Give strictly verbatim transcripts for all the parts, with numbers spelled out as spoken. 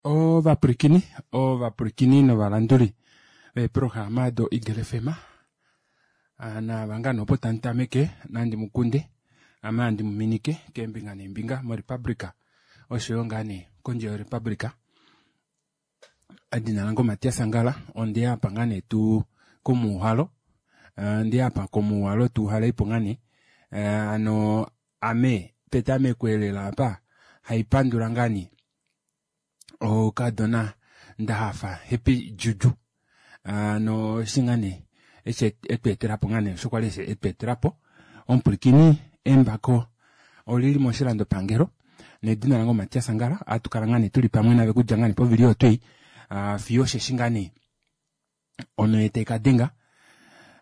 Ovapwilikini ovapwilikini novalanduli veeprograma do Eagle F M naava ngaa nee opo tamutameke nandi mukunde ame handi muminike keembinga neembinga mo republica oshoyo ngaa nee kondje yo republica. Edina lange o Matias Angala ondeya aapa ngaa nee tuu komuuhalo ondeya aapa komuuhalo tuuhaleipo ngaa nee hano ame petameko elela aapa haipandula ngaa nee okadona ndahafa happy juju hano eshi ngaa nee etweetelapo osho kwali etweetelapo. Omupwilikini embako olili moshilandopangelo nedina lange o Matias Angala ohatukala ngaa nee tuli pamwe naave okudja ngaa nee povili oyo twoo ei fiyo osheshi ngaa nee onhe taikadenga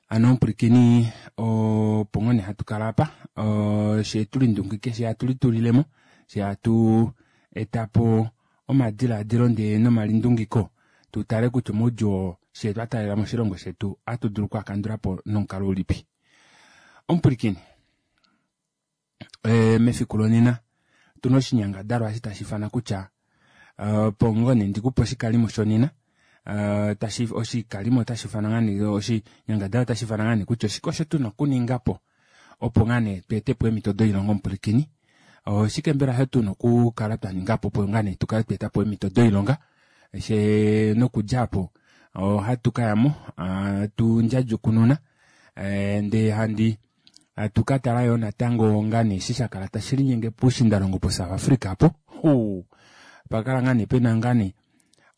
hano omupwilikini opo ngoo nee hatukala aapa fyee tulindungike fyee hatu litulilemo fyee hatu etapo omadilaadilo ndee nomalindungiko tutale kutya omaudjuu oo fyee twataalela moshilongo shetu ohatu dulu okwaakandulapo nomukalo ulipi. Omupwilikini mefiku lonena otuna oshinyangadalwa eshi tashiifanwa kutya opo ngoo nee ndikupe oshikalimo shonena oshikalimo ota shiifanwa ngaa nee oshinyangadalwa ota shiifanwa ngaa nee kutya oshike osho tuna okuningapo opo ngaa nee tweetepo eemito doilonga omupwilikini oshike mbela osho tuna okukala twaningapo opo ngaa nee tukale tweetapo eemito doilonga fyee nokudja aapo ohatu kayamo hatu ndjadjukununa ndee handi hatu katala yoo natango eshi shakala tashi linyenge poushiindalongo po south africa aapo uu opakala ngoo nee pena ngaa nee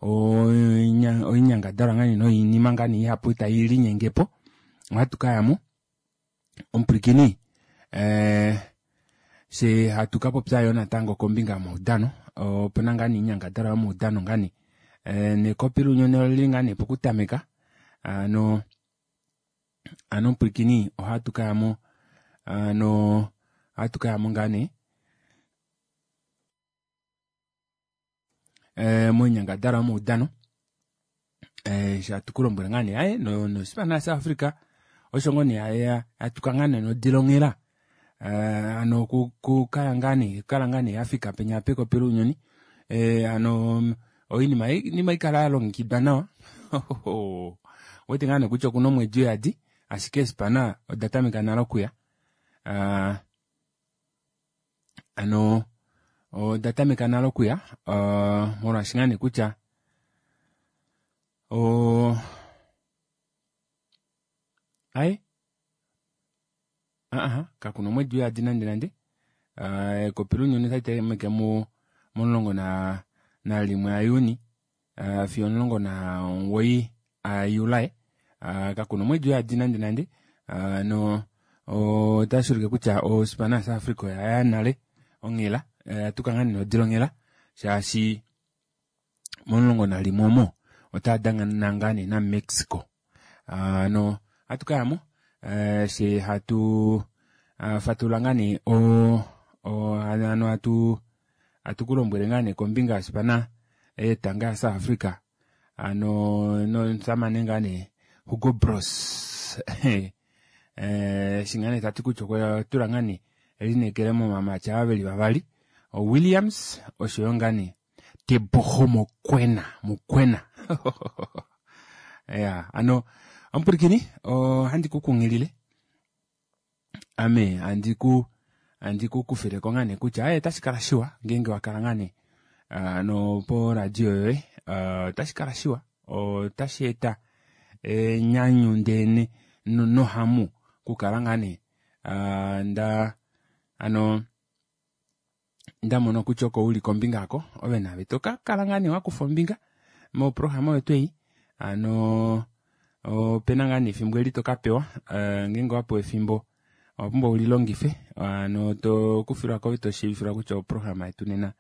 oinyangadalwa noinima ngoo nee ihapu tailinyengepo ohatu kayamo omupwilikini ee fyee hatu kapopya yoo natango kombinga yomaudano opena ngaa nee oinyangadalwa yomaudano ngaa nee nekopi lounyuni olili ngaa nee pokutameka hano omupwilikini ohatu kayamo hano ohatu kayamo ngaa nee moinyangadalwa yomaudano eshi hatu kulombwele ngoo nee aaye nospana ya south africa osho ngoo nee yatuka nodila onghela hano okukaya ngaa nee okukala ngaa nee yafika penya pekopi lounyuni hano oinima haikala yalongekidwa nawa ouwete ngoo nee kutya okuna omwedi uyadi ashike eespana oda tameka nale okuya aa hano oda tameka nale okuya aa molwaashi ngaa nee kutya oo aaye aaha kakuna omwedi uyadi nande nande ekopi lounyuni ota litameke momulongo nalimwe a juni fiyo omulongo nomugoyi a july kakuna omwedi uyadi nande nande hano otashuulike kutya ospana ya south africa oyaya nale onghela oyatuka ngaa nee nodila onghela shaashi momulongo nalimwe omo otaadana ngaa nee na mexico hano ohatu kayamo fyee hatu fatulula ngaa nee oo hano hatu hatukulombwele ngaa nee kombinga yospana yetanga ya south africa hano nomushamane ngaa nee hugo broos eshi ngaa nee tati kutya okwatula ngaa nee elineekelo movamati ava veli vavali o williams oshoyo ngaa nee teboho mokoena mokoena iyaa hano omupwilikini ohandi kukunghilile ame handi ku kufileko ngaa nee kutya aaye ota shikala shiwa ngenge wakala ngoo nee poradio yoye ota shikala shiwa ota sheeta enyanyu ndee nohamu okukala ngoo nee ndaa hano ndamona kutya oko uli kombinga aako ove naave tokakala ngoo nee wakufa ombinga moprograma oyo twoo ei hano opena ngoo nee efimbo eli tokapewa ngenge owapewa efimbo owapumbwa ulilongife hano tokufilwako ove toshiivifilwa kutya oprograma yetu nena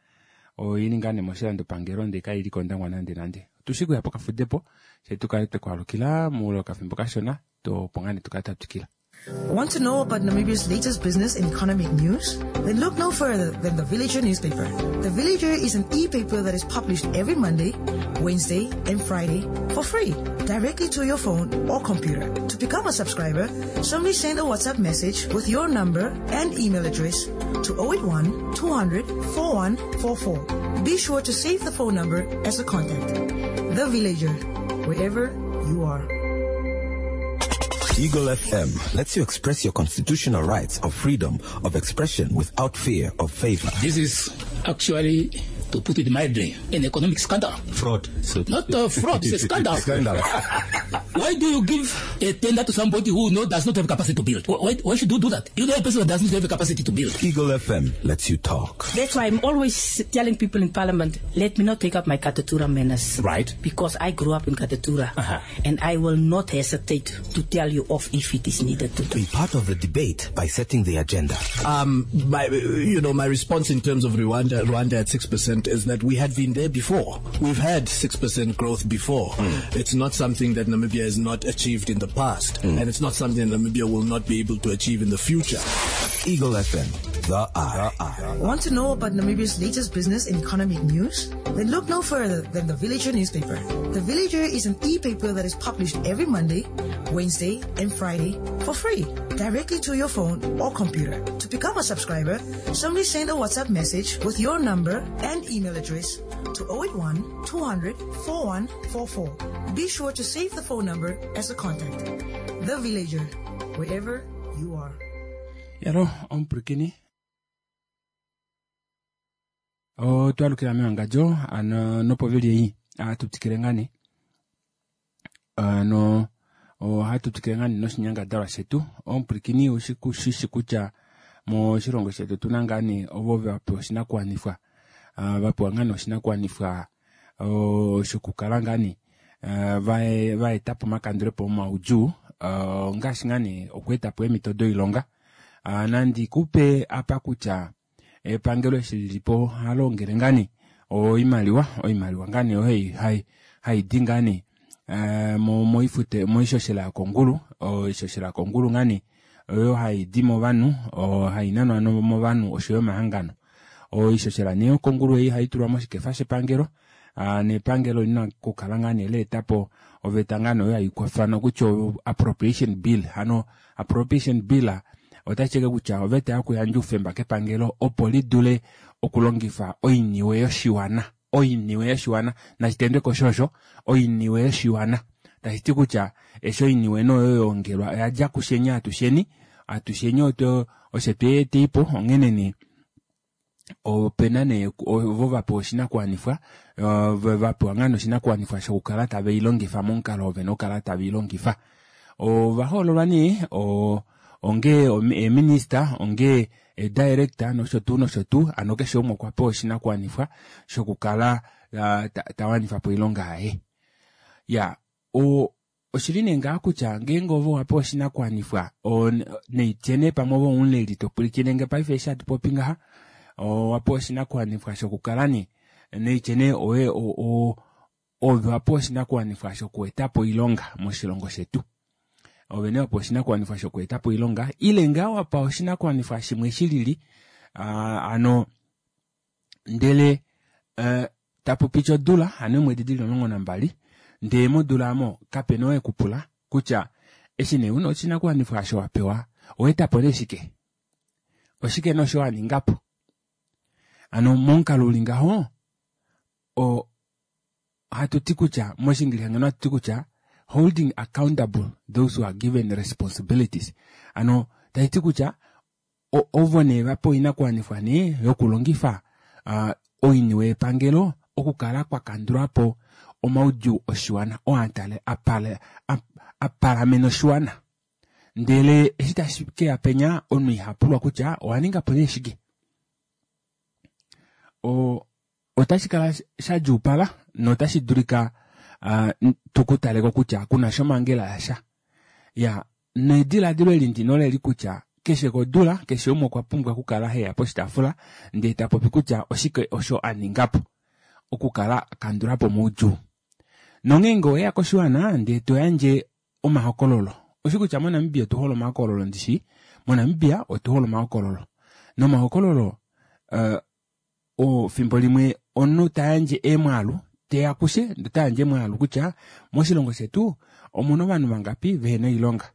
oili ngaa nee moshilandopangelo ndee kaili kondangwa nande nande. Otushi okuya pokafudepo fyee tukale twekwaalukila moule wokafimbo kashona opo ngoo nee tukale twatwikila. Want to know about Namibia's latest business and economic news? Then look no further than the Villager newspaper. The Villager is an e-paper that is published every Monday, Wednesday, and Friday for free, directly to your phone or computer. To become a subscriber, simply send a WhatsApp message with your number and email address to oh eight one, two hundred, four one four four. Be sure to save the phone number as a contact. The Villager, wherever you are. Eagle F M lets you express your constitutional rights of freedom of expression without fear of favor. This is actually, to put it mildly, an economic scandal. Fraud. So Not a fraud, it's a scandal. Scandal. Why do you give a tender to somebody who no, does not have capacity to build? Why, why should you do that? You know a person that does not have the capacity to build. Eagle F M lets you talk. That's why I'm always telling people in Parliament, let me not take up my Katutura manners. Right. Because I grew up in Katutura. Uh-huh. And I will not hesitate to tell you off if it is needed to do. Be part of the debate by setting the agenda. Um, my, you know, my response in terms of Rwanda, Rwanda at six percent is that we had been there before. We've had six percent growth before. Mm. It's not something that Namibia has not achieved in the past, Mm. and it's not something that Namibia will not be able to achieve in the future. Eagle F M, the Eye. The Eye. Want to know about Namibia's latest business and economic news? Then look no further than the Villager newspaper. The Villager is an e-paper that is published every Monday, Wednesday, and Friday for free, directly to your phone or computer. To become a subscriber, simply send a WhatsApp message with your number and email address to oh eight one, two hundred, four one four four. Be sure to save the phone number as a contact. The Villager, wherever you are. Yaro, ompurikini. O twalukila mewangadjo, ano nopovili ei, atutikile ngani. Ano, o hatutikile ngani noshinyangadalwa shetu. Ompurikini ushiku shishi kutya moshilongo shetu tuna ngani ovo vapewa oshinakuwanifwa. Ah, vapewa ngani oshinakuwanifwa, o, shokukala ngani, ah, vae-, vaetapo omakandulepo omaudjuu, ah, ngaashi ngani okuetapo eemhito doilonga. Ah, nandi kupe apa kutya epangelo eshi lilipo halongele ngani oimaliwa, oimaliwa ngani oyo hai, hai, haidi ngani, eh, mo-, moifute, moishoshela yokongulu, oishoshela yokongulu ngani oyo haidi movanhu, o, hainanwa no-, movanhu oshoyo omahangano. Oishoshela nee yokongulu ei haitulwa moshikefa shepangelo, ah, nepangelo lina okukala ngani leetapo oveta ngani oyo haikwafanwa kutya appropriation bill. Hano appropriation bill otashi teke kutya oveta yokuyandja oufemba kepangelo opo lidule okulongifa oiniwe yoshiwana. Oiniwe yoshiwana nashitendwe koshosho, oiniwe yoshiwana tashi ti kutya eshi oiniwe noyo yongelwa oyadja kusheni atusheni, atusheni oto oshe tweeteipo onghene nee opena nee ovo vapewa oshinakuwanifwa, ove vapewa ngano oshinakuwanifwa shokukala tave i longifa momukalo ove nokukala tave i longifa. Ovahoololwa nee, o-, onge eeminista, onge edirector nosho tuu nosho tuu, ano keshe umwe okwa pewa oshinakuwanifwa shokukala, ah, ta-, ta wanifa po oilonga yaye. Ya, o-, oshili nee ngaa kutya ngeenge ovo wa pewa oshinakuwanifwa, o-, neitye pamwe ovo omuleli to pwilikine nge paife eshi hatu popi ngaha, owa pewa oshinakuwanifwa shokukala nee, neitye nee oye, o-, o-, ove wa pewa oshinakuwanifwa shokuetapo oilonga moshilongo shetu. Ove nee wa pewa oshinakuwanifwa shokuetapo oilonga, ile ngaa wa pewa oshinakuwanifwa shimwe shilili, ah, ano, ndele, eh, tapu piti odula, ano eemwedi dili omulongo nambali, ndee modula amo kapena oo ekupula kutya eshi nee una oshinakuwanifwa osho wa pewa, owa etapo nee shike? Oshike nosho wa ninga po? Ano momukalo uli ngaho, o, hatu ti kutya, moshingilisa ngeno hatu ti kutya, holding accountable those who are given responsibilities. Ano, tashi ti kutya, o-, ovo nee vapewa oinakuwanifwa nee yokulongifa, ah, oiniwe yepangelo okukala kwa kandulwa po omaudjuu oshiwana, oo atale, apale, ap-, apalamena oshiwana. Ndele eshi tashi keya penya, omunhu iha pulwa kutya owa ninga po nee shike. O-, otashi kala sha djuupala notashi dulika, ah, tukutaleko kutya kuna shomangela yasha. Ya, nediladilo eli ndino leli kutya keshe kodula, keshe umwe okwa pumbwa okukala heya poshitaafula, ndee ta popi kutya oshike osho a ninga po okukala a kandula po moudjuu. Nongeenge oweya koshiwana, ndee to yandje omahokololo, Oshi kutya moNamibia otu hole omahokololo ndishi. MoNamibia otu hole omahokololo. Nomahokololo uh, ofimbo limwe omunhu tayandje eemwaalu teya kushe tayandje emwaalu kutya moshilongo shetu omuna ovanhu vangapi vehena oilonga.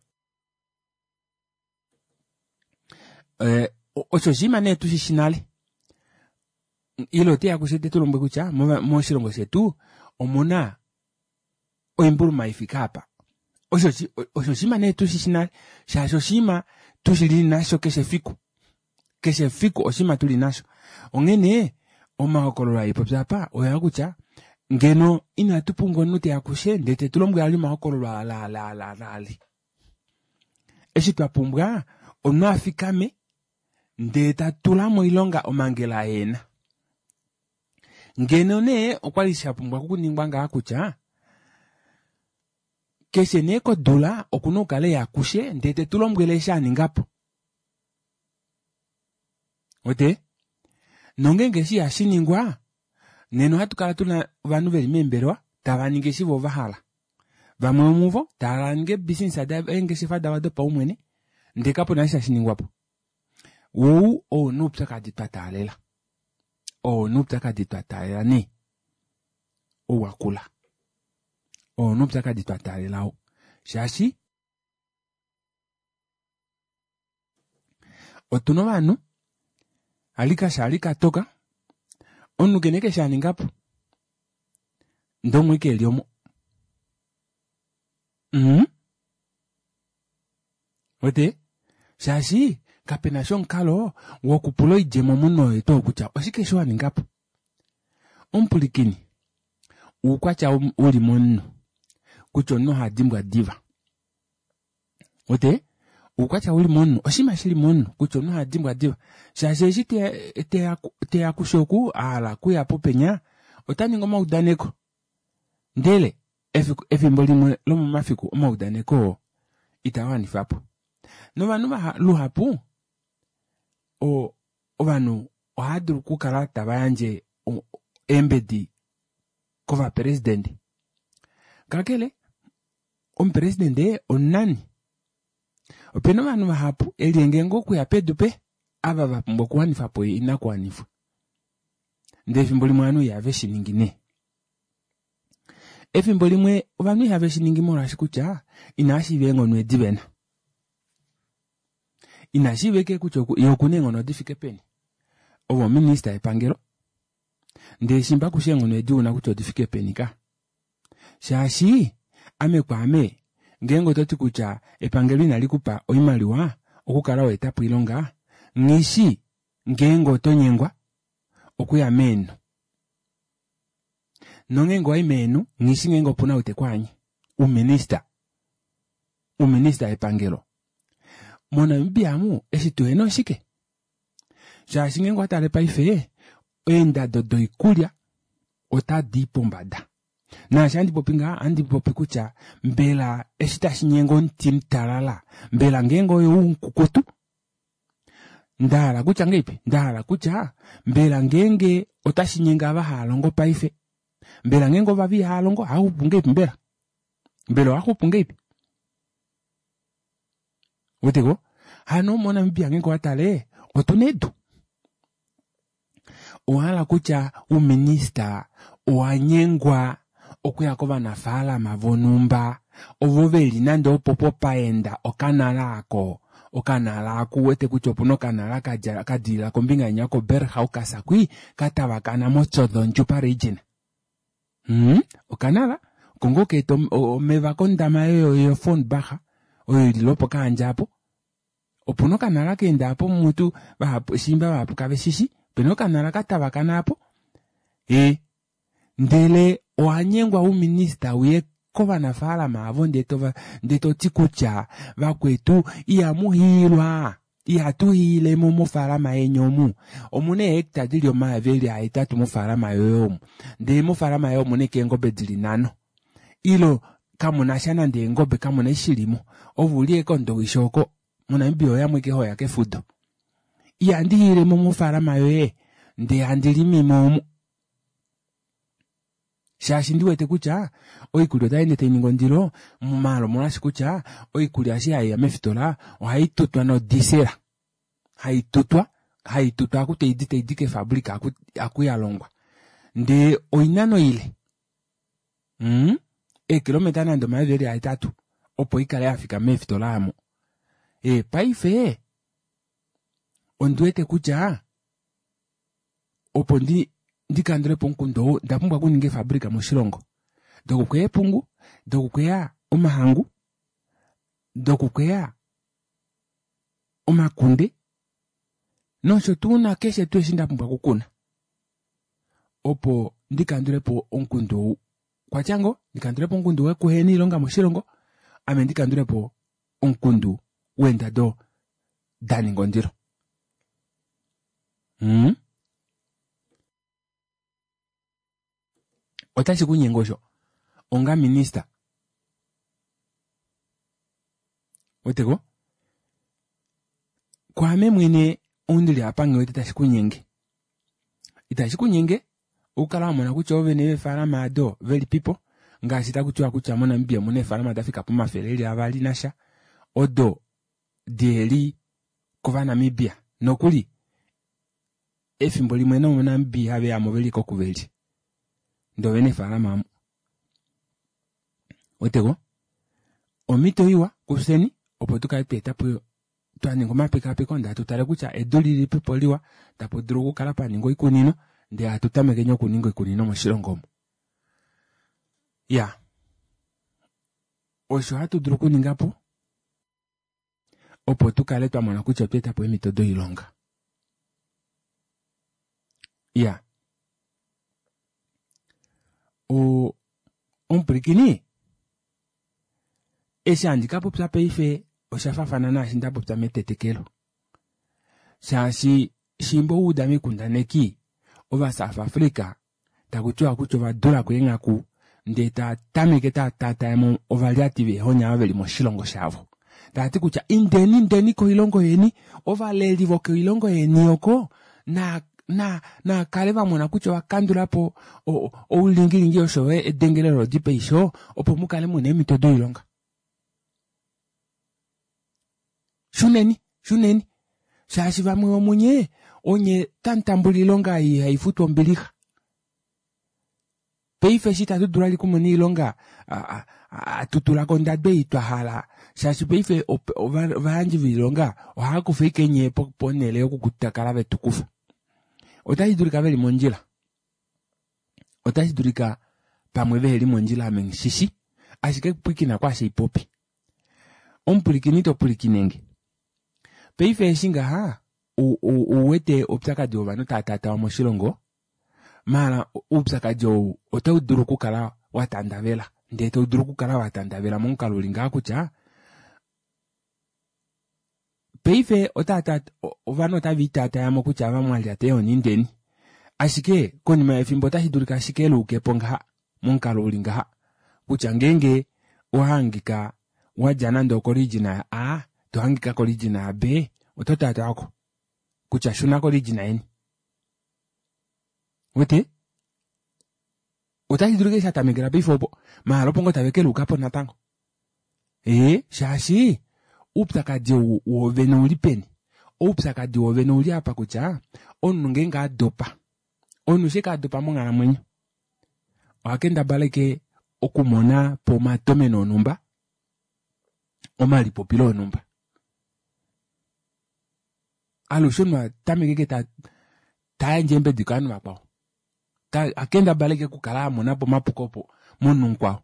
Eh, osho oshinima nee tushishi nale. Ile oteya kushe tetulombwele kutya moshilongo shetu omuna oimbuluma ifike apa. Osho oshinima nee tushishi nale shaashi oshinima tushili nasho keshe efiku. Keshe efiku oshinima tuli nasho. Onghene omahokololo aipopya apa oyaa kutya ngeno inatu pumbwa omunhu teya kushe ndele tetulombwele ali omahokololo ala ala ala ala ali. Eshi twa pumbwa omunhu afikame ndele tatula moilonga omangela aena. Ngeno nee okwali shapumbwa okuningwa ngaa kutya keshe nee kodula okuna okukala eya kushe ndele tetulombwele eshi aningapo. Ote? Nongenge eshi ihashi ningwa nena ohatu kala tuna ovanhu veli meembelewa tava ningi eshi vo vahala. Vamwe vomuvo tava ningi eebusiness eengeshefa davo dopaumwene ndele kapuna eshi tashi ningwapo. Wou ou noupyakadi twa taalela. Ou noupyakadi twa taalela nee. Ou wakula. Ou noupyakadi twa taalela ou. Shaashi otuna ovanhu alika sha alika toka omunhu kene keshe aningapo ndee omwiike eli omo. Mm? Ote? Shaashi kapena sha omukalo wokupula oidjemo omunhu oye tuu kutya oshike sho waningapo. Omupulikini uukwatya uli momunhu kutya omunhu oha dimbwa diva. Ote? Uukwatya uli momunhu oshinima shili momunhu kutya omunhu oha dimbwa diva. Shaashi eshi teya teya kushe oku ahala kuya popenya ota ningi omaudaneko. Ndele efimbo limwe lomomafiku omaudaneko oo ita wanifapo. Novanhu luhapu o ovanhu ohava dulu okukala tava yandje eembedi kovapresidente. Kakele omupresidente omunani. Opena ovanhu vahapu elienge ngoo okuya pedu pe ava vapumbwa okuwanifa po oinakuwanifwa. Ndele efimbo limwe ovanhu ihave shi ningi nee. Efimbo limwe ovanhu ihave shi ningi molwaashi kutya inava shiiva eenghono edi vena. Ina shiivike kutya ye okuna eenghono difike peni. Ovo minista yepangelo. Ndele shimba kushi eenghono edi una kutya odifike peni ka. Shaashi ame kwaame ngeenge ototi kutya epangelo inali kupa oimaliwa okukala weetapo oilonga nghishi ngeenge oto nyengwa okuya meenhu. Nongeenge owayi meenhu nghishi ngeenge opuna ou tekwaanye. Uminista. Uminista yepangelo. MoNamibia amu eshi tuhena oshike? Shaashi ngeenge owatale paife eendado doikulya otadi pombada. Naashi handi popi ngaha ohandi popi kutya mbela eshi tashi nyenge omuti mutalala mbela ngeenge oyo umukukutu ndahala kutya ngeipi ndahala kutya mbela ngeenge otashi nyenge ava hava longo paife mbela ngeenge ovavi ihava longo ohava xupu ngeipi mbela mbela ohava xupu ngeipi weteko hano moNamibia ngeenge owatale otuna edu. Owahala kutya uminista owanyengwa okuya kovanafaalama vonhumba ovo veli nande opopo paenda okanala ako okanala ako uwete kutya opuna okanala kadja kadilila kombinga inya koBerghaus kwi katavakana moTjozondjupa region. Hmm? Okanala oko ngoo kaeta omeva kondama oyo yoFornbach oyo ili lwopoKahandja apo. Opuna okanala kaenda apo mutu vahapu shimba vahapu kave shishi opena okanala katavakana apo. E ndele owanyengwa uminista uye kovanafaalama avo ndee toti kutya vakwetu ihamu hiilwa ihatu hiilemo mofaalama yeni omu. Omuna eehecta dili omayovi eli ahetatu mofaalama yoye omu. Ndele mofaalama yoye omuna ashike eengobe dili nhano. Ilo kamunasha nande eengobe kamuna eshi shilimo. Ove uli ashike kondowishi oko moNamibia oyamwe ashike hoya kefudo. Ihandi hiilemo mofaalama yoye ndee handi limimo omu. Shaashi ndi wete kutya oikulya otai ende tai ningi ondilo maala omolwaashi kutya oikulya eshi haiya meefitola ohai tutwa nodisela. Hai tutwa, hai tutwa aku taidi taidi keefabrika aku, aku yalongwa. Ndee oinano ile. Mm? Eekilometa nande omayovi eli ahetatu opo ikale yafika meefitola aamo. E, paife ondi wete kutya opo ndi ndikandulepo omukundu ou onda pumbwa okuninga eefabrika moshilongo dokukweya eepungu, dokukweya omahangu, dokukweya omakunde nosho tuu nakeshe tuu eshi ndapumbwa okukuna opo ndikandulepo omukundu ou kwatya ngoo ndikandulepo omukundu wokuhena oilonga moshilongo ame ndikandulepo omukundu weendado daninga ondilo. Mm? Otashi kunyenge osho onga minister weteko kwaame mwene oundili apa nghiwete tashi kunyenge. Itashi kunyenge okukala wamona kutya oovene veefalama ado velipipo ngaashi takutiwa kutya moNamibia omuna eefalama dafika pomafele eli avali nasha odo diheli kOvanamibia nokuli efimbo limwe nomoNamibia ihaveyamo veli kokuveli ndee ovena eefalama omo. Weteko omhito iwa kufyeni opo tukale twaetapo twaninga omapekapeko ndee hatu tale kutya edu lilipipo liwa tapu dulu okukala paningwa oikunino ndee hatu tamekeni okuninga oikunino moshilongo omu. Ya osho hatu dulu okuningapo opo tukale twamona kutya otwa etapo eemhito doilonga. Ya o omupwilikini eshi handi kapopya paife osha faafana naashi ndapopya metetekelo shaashi shimba ouda moikundaneki ova South Africa takutiwa kutya ova dulako eenghaku ndee taa tameke taa taatayamo ovalyati veehonya ava veli moshilongo shavo taati kutya indeni indeni koilongo yeni ovaleli vokoilongo yeni oko na na nakale vamona kutya ovakandulapo oulingilingi osho yo edengelelo lodi peisho opo mukale muna eemhito doilonga. Shuneni shuneni shaashi vamwe vomunye onye tamutambula oilonga ei haifutwa ombilixa. Paife eshi itatu dulu vali okumona oilonga hatu tulako ondado ei twahala shaashi paife ovayandji voilonga ohava kufa ashike nyee ponele yokutakala vetukufa. Otashi dulika veli mondjila, otashi dulika pamwe veheli mondjila ame nghishishi ashike pwilikina kwaashi haipopi. Omupwilikini to pwilikinenge. Paife eshi ngaha ouwete oupyakadi wovanhu tava tatawa moshilongo maala oupyakadi ou otau dulu okukala watandavela ndee tau dulu okukala watandavela momukalo uli ngaha kutya paife otata ovanhu otava itatayamo kutya ava mwalyata eehoni indeni ashike konima yefimbo otashi dulika ashike luukepo ngaha momukalo uli ngaha kutya ngeenge owahangika wadja nande okorijina ya A tohangika korijina ya B oto tatawako kutya shuna korijina yeni. Wete otashi dulika shatamekela paife opo maala opo ngoo tave keluukapo natango. Ee shaashi oupyakadi ou woovene ouli peni. Oupyakadi woovene ouli apa kutya omunhu ngeenge adopa omunhu sheke adopa monghalamwenyo oha kendabala ashike okumona po omatomeno onhumba omalipopilo onhumba. Alushe omunhu atameke ashike ta tayandje eembedi kovanhu vakwao akendabala ashike okukala amonapo omapuko opo momunhu mukwao.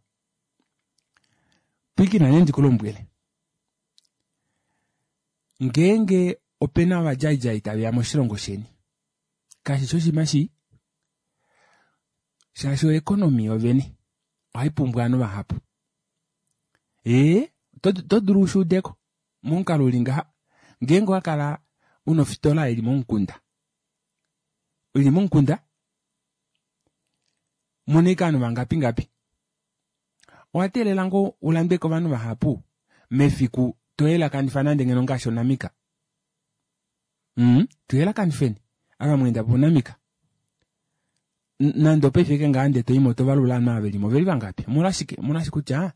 Pwilikina nee ndikulombwele ngeenge opena ovadjaidjai taveya moshilongo sheni kashishi oshinima shii shaashi oeconomy yovene ohaipumbwa ovanhu vahapu. Ee oto dulu ushuudeko momukalo uli ngaha ngeenge owakala una ofitola ili momukunda ili momukunda muna ashike ovanhu vangapi ngapi owateelela ngoo ulandwe kovanhu vahapu mefiku toyelakanifa nande ngeno ngaashi onamika. Mm, tuyelakanifeni ava mweenda ponamika Nande opaife ke ngaa ndee toimo tovalula ovanhu ava velimo oveli vangapi. Omolwashike? Omolwashi kutya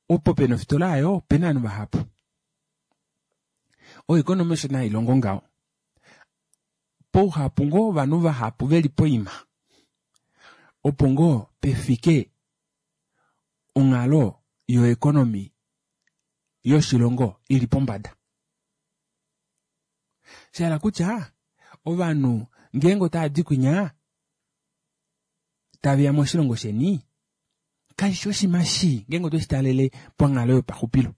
opo pena ofitola aayo opena ovanhu vahapu. Oeconomy osho nee hailongo ngaho. Pouhapu ngoo wovanhu vahapu veli poima opo ngoo pefike onghalo yoeconomy yoshilongo ili pombada. Shahala kutya ovanhu ngeenge otavadi kwinya taveya moshilongo sheni kashishi oshinima shii ngeenge otweshi talele panghalo yopaxupilo.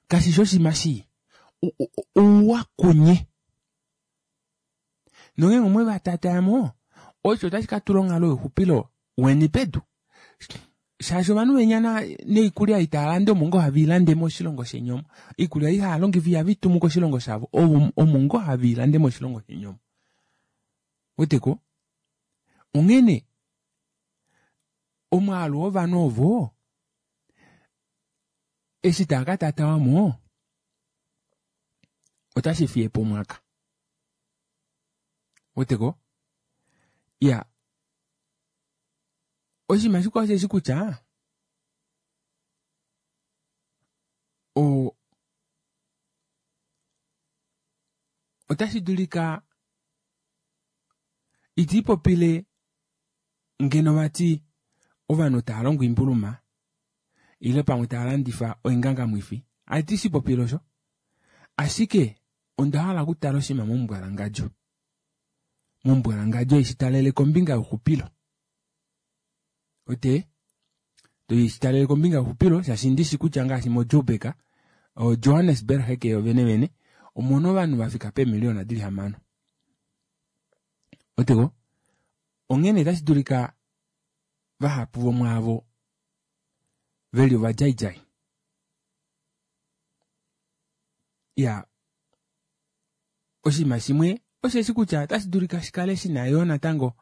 Kashishi oshinima shii, ouwa kunye. Nongeenge omwevatatayamo osho otashi katula onghalo youxupilo weni pedu. Shaashi ovanhu venya noikulya ei taalande omo ngoo have ilande moshilongo sheni omo. Oikulya ei haalongifa ihave itumu koshilongo shavo, omo ngoo have ilande moshilongo sheni omo. Ouweteko? Onghene omwaalu wovanhu ovo eshi taakatatawamo otashi fiyepo omwaka. Ouweteko? Iya, oshinima shikwao osheshi kutya o otashi dulika itiipopile ngeno vati ovanhu tava longo oimbuluma ile pamwe tava landifa oingangamwifi. Ati shipopile osho, ashike onda hala okutala oshinima momumbwalangadjo. Momumbwalangadjo eshi talele kombinga youxupilo. Ote toishitalele kombinga youxupilo shaashi ndishi kutya ngaashi moJoburg, Johannesburg heke yo vene vene omuna ovanhu vafika peemiliona dili hamano. Oteko onghene otashi dulika vahapu vomwaavo veli ovadjaidjai. Ya, oshinima shimwe osheshi kutya otashi dulika shikale shina yoo natango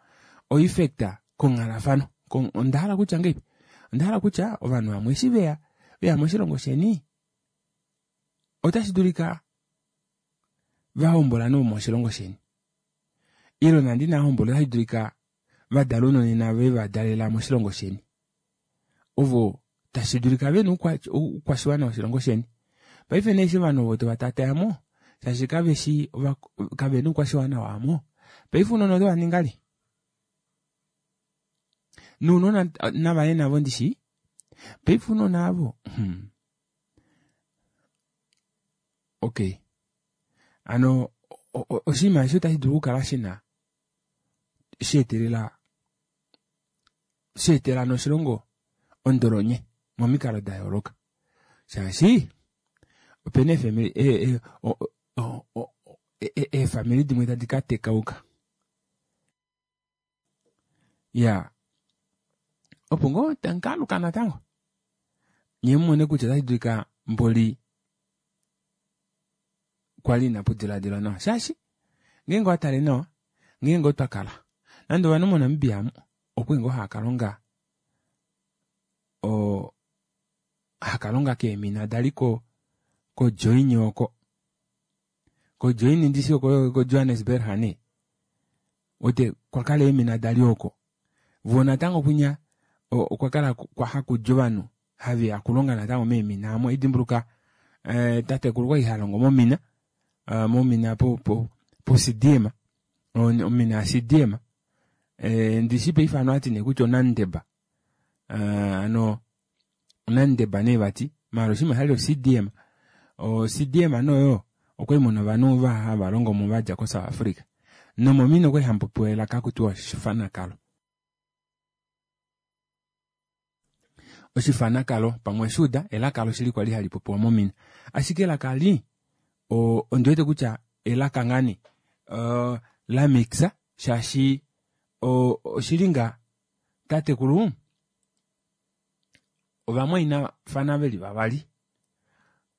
oeffect konghalafano. Onda hala kutya ngeipi? Onda hala kutya ovanhu vamwe eshi veya veya moshilongo sheni otashi dulika vahombola nomoshilongo sheni. Ile nande inava hombola otashi dulika vadala ounona ve va dalela moshilongo sheni. Ovo tashi dulika vena oukwashiwana woshilongo sheni. Paife nee eshi ovanhu ovo tovatatayamo shaashi kaveshi kavena oukwashiwana waamo. Paife ounona otova ningali? Nounona navaye navo ndishi? Paife ounona avo hmm. Okay. Ano oshinima eshi otashi dulu okukala shina sheetelela sheetela noshilongo ondolonye momikalo da yooloka. Shaashi opena eefamili eefamili dimwe tadi ka tekauka. Ya, opo ngoo tamuka natango nye mumone kutya otashi dulika mboli kwali inapu diladilwa nawa. Shaashi ngeenge owatale nawa, ngeenge otwa kala nande ovanhu moNamibia amu okwali ngoo haakalonga o hakalonga keemina dali ko koJoini oko. KoJoini ndishi oko koJohannesburg nee. Ote kwakala eemina dali oko. Vo natango kwinya okwa kala kwa hakudja ovanhu haveya okulonga natango meemina amo. Idimbuluka eh, tatekulu kwali halongo momina, uh, momina po po po C D M, omina ya C D M. Eh, ndishi paife ano ati nee kutya onandeba. Uh, ano onandeba nee vati, maala oshinima shali o C D M. O C D M noyo okwali muna ovanhu va hava longo mo vadja ko South Africa. Nomomina okwali hamupopiwa elaka kutiwa oshifanakalo. Oshifanakalo pamwe shuuda elaka loshili kwali hali popiwa momina. Ashike elaka li o ondi wete kutya elaka ngani uh, la mixa shaashi o oshili nga tatekulu ovamwainafana veli vavali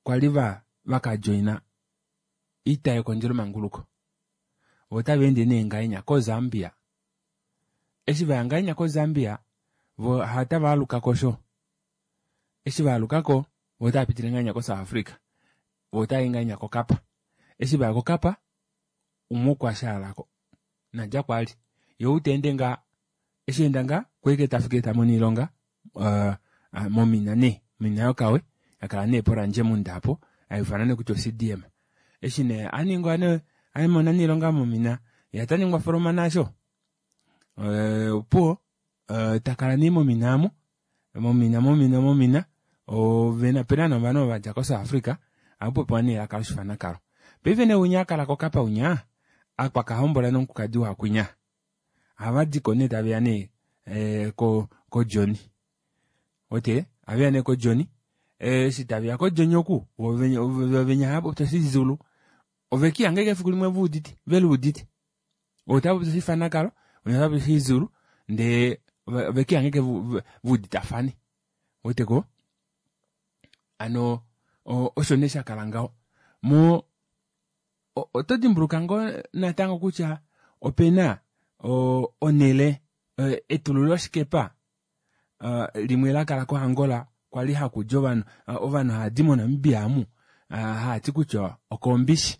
kwali va vakajoina oita yekondjelo manguluko. Vo otava ende nee ngahenya koZambia. Eshi vaya ngahenya koZambia vo hatava aluka kosho. Eshi va alukako vo otava pitile ngahenya koSouth Africa. Vo otava i ngahenya koKapa. Eshi vaya kokapa umwe okwashaalako nadja kwali yee ou teende ngaa eshi enda ngaa okwaike tafiki tamono oilonga aa momina nee omina yokawe yakala nee pOranjemund aapo haiufanwa nee kutya o C D M. Eshi nee aningwa nee amona nee oilonga momina yee otaningwa foromana aasho ee opuwo takala nee momina aamo momina momina momina opena nee ovanhu ovo vadja ko south Africa ohamupopiwa nee elaka loshifanakalo. Paife nee winya akala kokapa winya akwakahombola nomukulukadi waakwinya ohavadiko nee taveya nee kojoni uwete ohaveya nee kojoni eshi taveya ko joni oku voo venya ohaapopi oshizulu ovekiihanga ashike efiku limwe vuudite veluudite ou otapopi oshifanakalo winya otapopi oshizulu ndee ovekiihanga ashike veuditafane ouweteko hano osho nee shakala ngaho moo oto dimbuluka ngoo natango kutya opena onele etululo shikepa limwe lakala ko angola kwali hakudi ovanhu ovanhu haadi mo namibia aamu haati kutya okombishi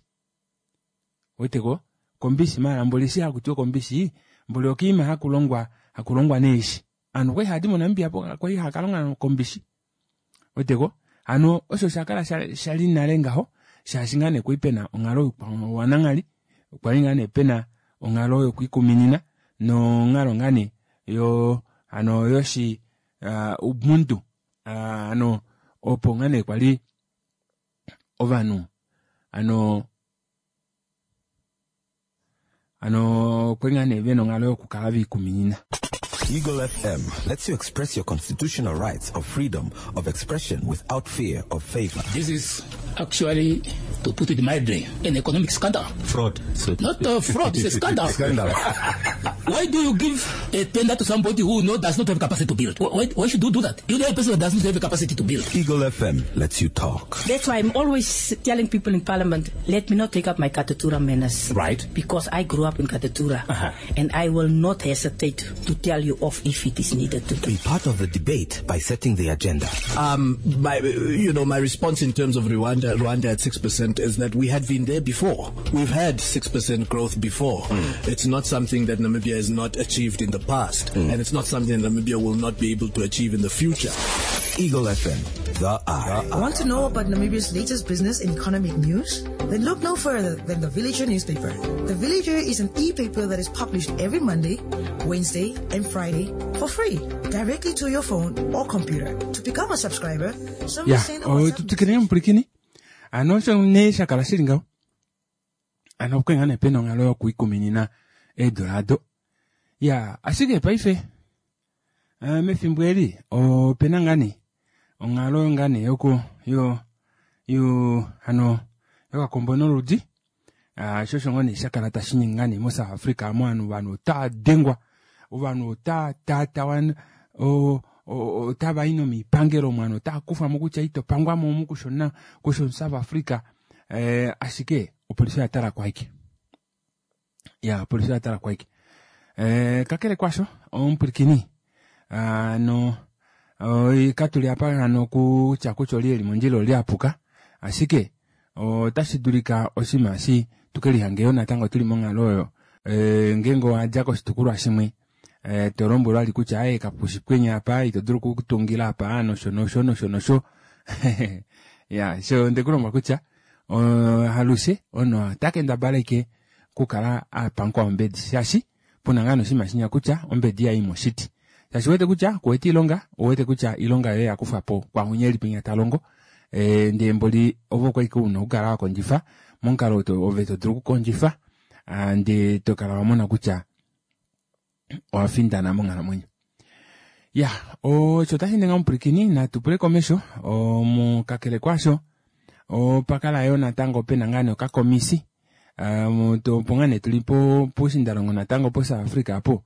ouweteko kombishi maala mboli eshi hakutiwa okombishi mboli okiima hakulongwa hakulongwa neeshi ovanhu okwali haadi mo namibia kwali haakalonga kombishi ouweteko hano osho oshakala shali nale ngaho shaashi ngaa nee kwali pena onghalo youkwanalanghali kwali ngoo nee pena onghalo yokwiikuminina nonghalo ngoo nee yoo hano yoshi ubuntu hano opo ngoo nee kwali ovanhu hano hano okwali ngoo nee vena onghalo yokukala veliikuminina. Eagle F M lets you express your constitutional rights of freedom of expression without fear of favor. This is actually, to put it mildly, an economic scandal. Fraud. So Not a fraud, it's a scandal. Scandal. Why do you give a tender to somebody who no, does not have capacity to build? Why, why should you do that? You know a person who does not have the capacity to build. Eagle F M lets you talk. That's why I'm always telling people in Parliament, let me not take up my Katutura manners. Right. Because I grew up in Katutura. Uh-huh. And I will not hesitate to tell you off if it is needed to. Be part of the debate by setting the agenda. Um, my, you know, my response in terms of Rwanda, Rwanda at six percent is that we had been there before. We've had six percent growth before. Mm. It's not something that Namibia has not achieved in the past, mm. and it's not something that Namibia will not be able to achieve in the future. Eagle F M, the eye. Want to know about Namibia's latest business and economic news? Then look no further than the Villager newspaper. The Villager is an e-paper that is published every Monday, Wednesday, and Friday for free, directly to your phone or computer. To become a subscriber, simply yeah. send a WhatsApp. Tutikire mpurikini. Ano sho ne shakala shili ngaho. Ano okwenga ne peno ngalo yokuikuminina eedolado. Ya, ashike paife uh, mefimbo eli opena ngani onghalo ngani yoku yo yo hano yokakombo noludi uh, shosho ngoo nee shakala tashi ningi ngani mo South Africa mo ovanhu vanhu otava dengwa ovanhu otava tatawa otava i nomipangelo mwanhu otava kufwamo kutya ito pangwamo omu kushona kusho South Africa eh, ashike opolisi oya tala kwaike ya opolisi oya tala kwaike eh, kakele kwasho omupwilikini ano katuli apa hano kutya kutya oli eli mondjila oli apuka ashike otashi dulika oshinima eshi tukelihange natango tuli monghalo oyo e, ngeenge owadja koshitukulwa shimwe e, to lombwelwa ali kutya aye kapushipwenya apa ito dulu okutungila apa nosho nosho nosho nosho ya sho ndekulombwa kutya halushe ono otakendabala ike kukala apankwa ombedi shaashi puna ngaa noshinima shinya kutya ombedi yayi moshiti shaashi uwete kutya kuwete ilonga uwete kutya ilonga yoye yakufwapo kwahunya eli penya talongo e, ndee mboli ovo kwali una okukala wakondjifa momukalo ove todulu okukondjifa ndee tokala wamona kutya owafindana monghalamwenyo. Ya osho otashi ninga omupwilikini natupule komesho omukakele kwasho opakala yo natango pena ngaa nee okakomisi opo ngaa nee tuli pushindalongo natango po South Africa apo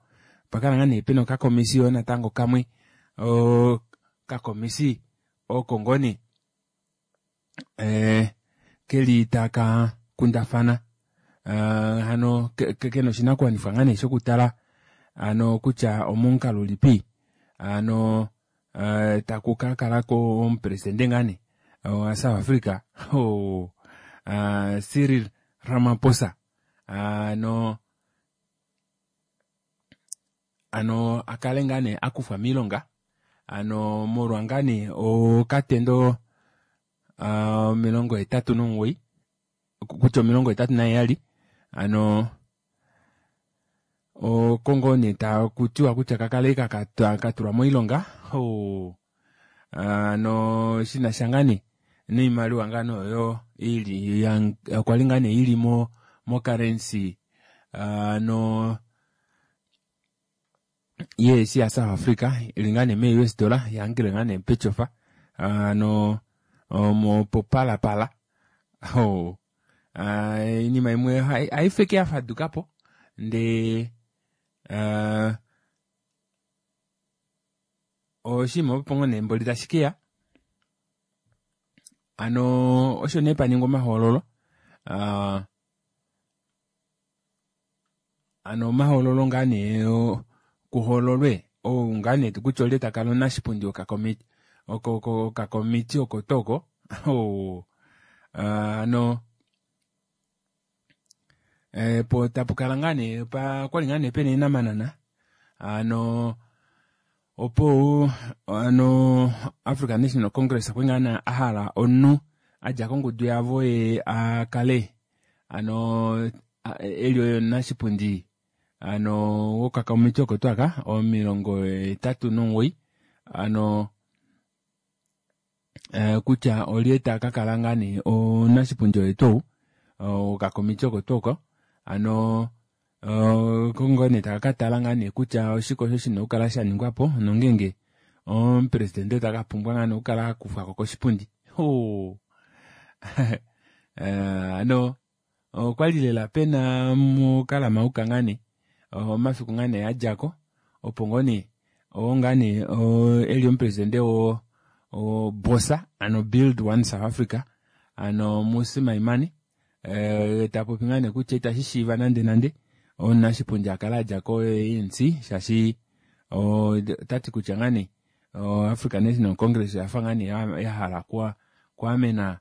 opakala ngaa nee pena okakomisi yo natango kamwe okakomisi oko ngoo nee eh, keli taka kundafana hano kena oshinakuwanifwa ngaa nee shokutala ano kutya omomukalo ulipi ano taku kakalako omupresidente ngaa nee wa South Africa oh, uh, Cyril Ramaphosa ano ano akale ngaa nee akufwa miilonga ano molwa ngaa nee okatendo omilongo hetatu nomugoyi kutya omilongo hetatu naheyali ano oko ngoo nee takutiwa kutya kakale katulwa moilonga oo ano shinasha ngaa nee noimaliwa ngaano oyo ili kwali ngaa nee ili mo mo currency ano yeesi ya South Africa ili ngaa nee mee U S dollar yahangile ngaa nee petyofa ano omo popalapala oh iinima imwe haifeke yafadukapo ndee uh, oshinima opo ngoo nee mboli tashikeya ano osho nee paningwa omahoololo uh, ano omahoololo ngaa nee kuhoololwe ou ngaa nee kutya olye takala omunashipundi wokakomiti okakomiti oko toko oh, ano po tapukala ngaa nee okwali ngaa nee pena eenamanana ano opo ano African National Congress okwali ngaa nee ahala omunhu adja kongudu yavo ye akale ano eli oye omunashipundi ano wokakomiti oko tuu aka omilongo hetatu nomugoyi ano kutya olye takakala ngaa nee omunashipundi oye tuu wokakomiti oko tuu oko ano kongo nee takakatala ngaa nee kutya oshike osho shina okukala shaningwapo nongenge omupresidente takapumbwa ngaa nee okukala akufwako koshipundi oh. Ano okwali lela pena mukalamauka ngaa nee omafiku ngaa nee adjako opo ngoo nee oo ngaa nee eli omupresidente wo BOSA ano Build One South Africa ano Mmusi Maimane eh, tapopi ngaa nee kutya itashi shiiva nande nande omunashipundi akala adja ko A N C shaashi otati kutya ngaa nee African National Congress oyafa ngaa nee yahala kwaamena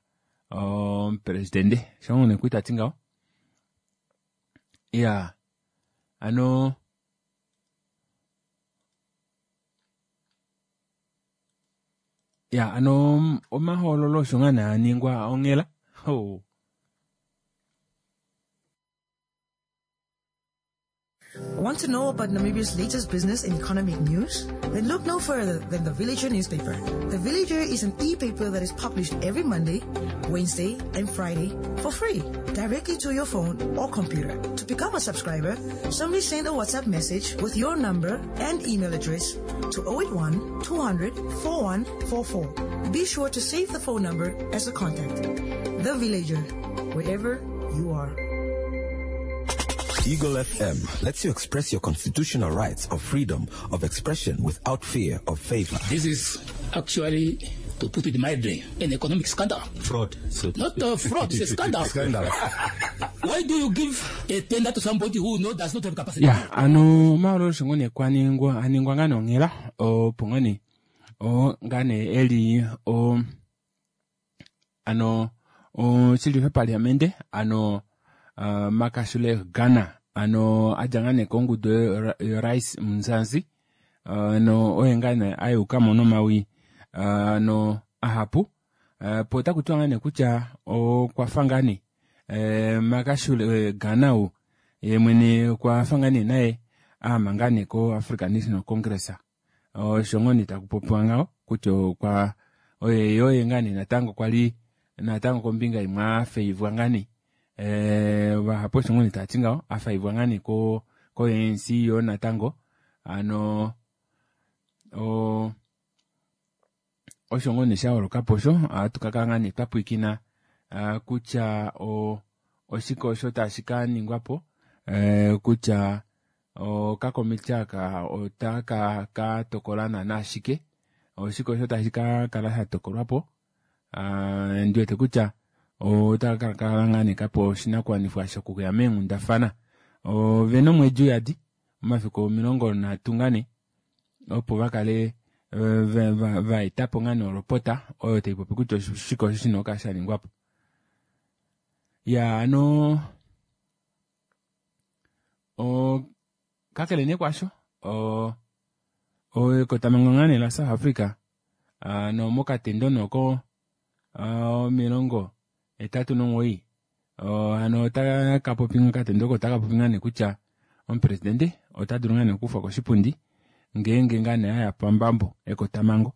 omupresidente shongo nee kwitati ngaho ya ano ya ano omahoololo osho ngaa nee aningwa onghela oh. Want to know about Namibia's latest business and economic news? Then look no further than the Villager newspaper. The Villager is an e-paper that is published every Monday, Wednesday, and Friday for free, directly to your phone or computer. To become a subscriber, simply send a WhatsApp message with your number and email address to oh eight one, two hundred, four one four four. Be sure to save the phone number as a contact. The Villager, wherever you are. Eagle F M lets you express your constitutional rights of freedom of expression without fear of favor. This is actually, to put it mildly, an economic scandal. Fraud. So Not a fraud, it's a scandal. Scandal. Why do you give a tender to somebody who no, does not have capacity? Yeah, ano maolo shingone kwaningwa aningwa ngano ngela o pongani o ngane eli o ano o chili parliament ano Uh, Makashule Ghana ano adjangane kongudu yo Rice Mzansi ano uh, oye ngane ayuka mono mawi ano uh, ahapu uh, pota kutwa ngane kutya okwafa ngane uh, Makashule Ghana u ye mwene kwafa ngane naye amangane ko African National Congress osho uh, ngoni takupopiwa ngao kutya kwa oye oye ngane natango kwali natango kombinga imwe afeivwa ngane eh vahapo shingoni tati ngao afaivwa ngane ko ko A N C yo natango ano o osho ngoni shaolokapo sho atukaka ngane twapwikina kutya o oshike osho tashi ka ningwapo eh kutya o kakomiti aka otaka ka tokola nashike oshike osho tashi ka kala sha tokolwapo ah ndiwete kutya otaka kala ngane kapo oshinakuwanifwa shokuya meenghundafana ovena omwedi uyadi omafiku omilongo nhatu ngane opo vakale vaetapo ngane olopota oyo taipopi kutya oshike osho shina okukala shaningwapo. Ya hano o kakele nee kwaasho o ekotamhango ngaa nee la South Africa hano mokatendo nee oko omilongo hetatu nomugoyi hano otakapopi okatendo oko otakapopi ngoo nee kutya omupresidente otadulu ngoo nee okukufwa koshipundi ngeenge ngoo nee aya pambambo ekotamhango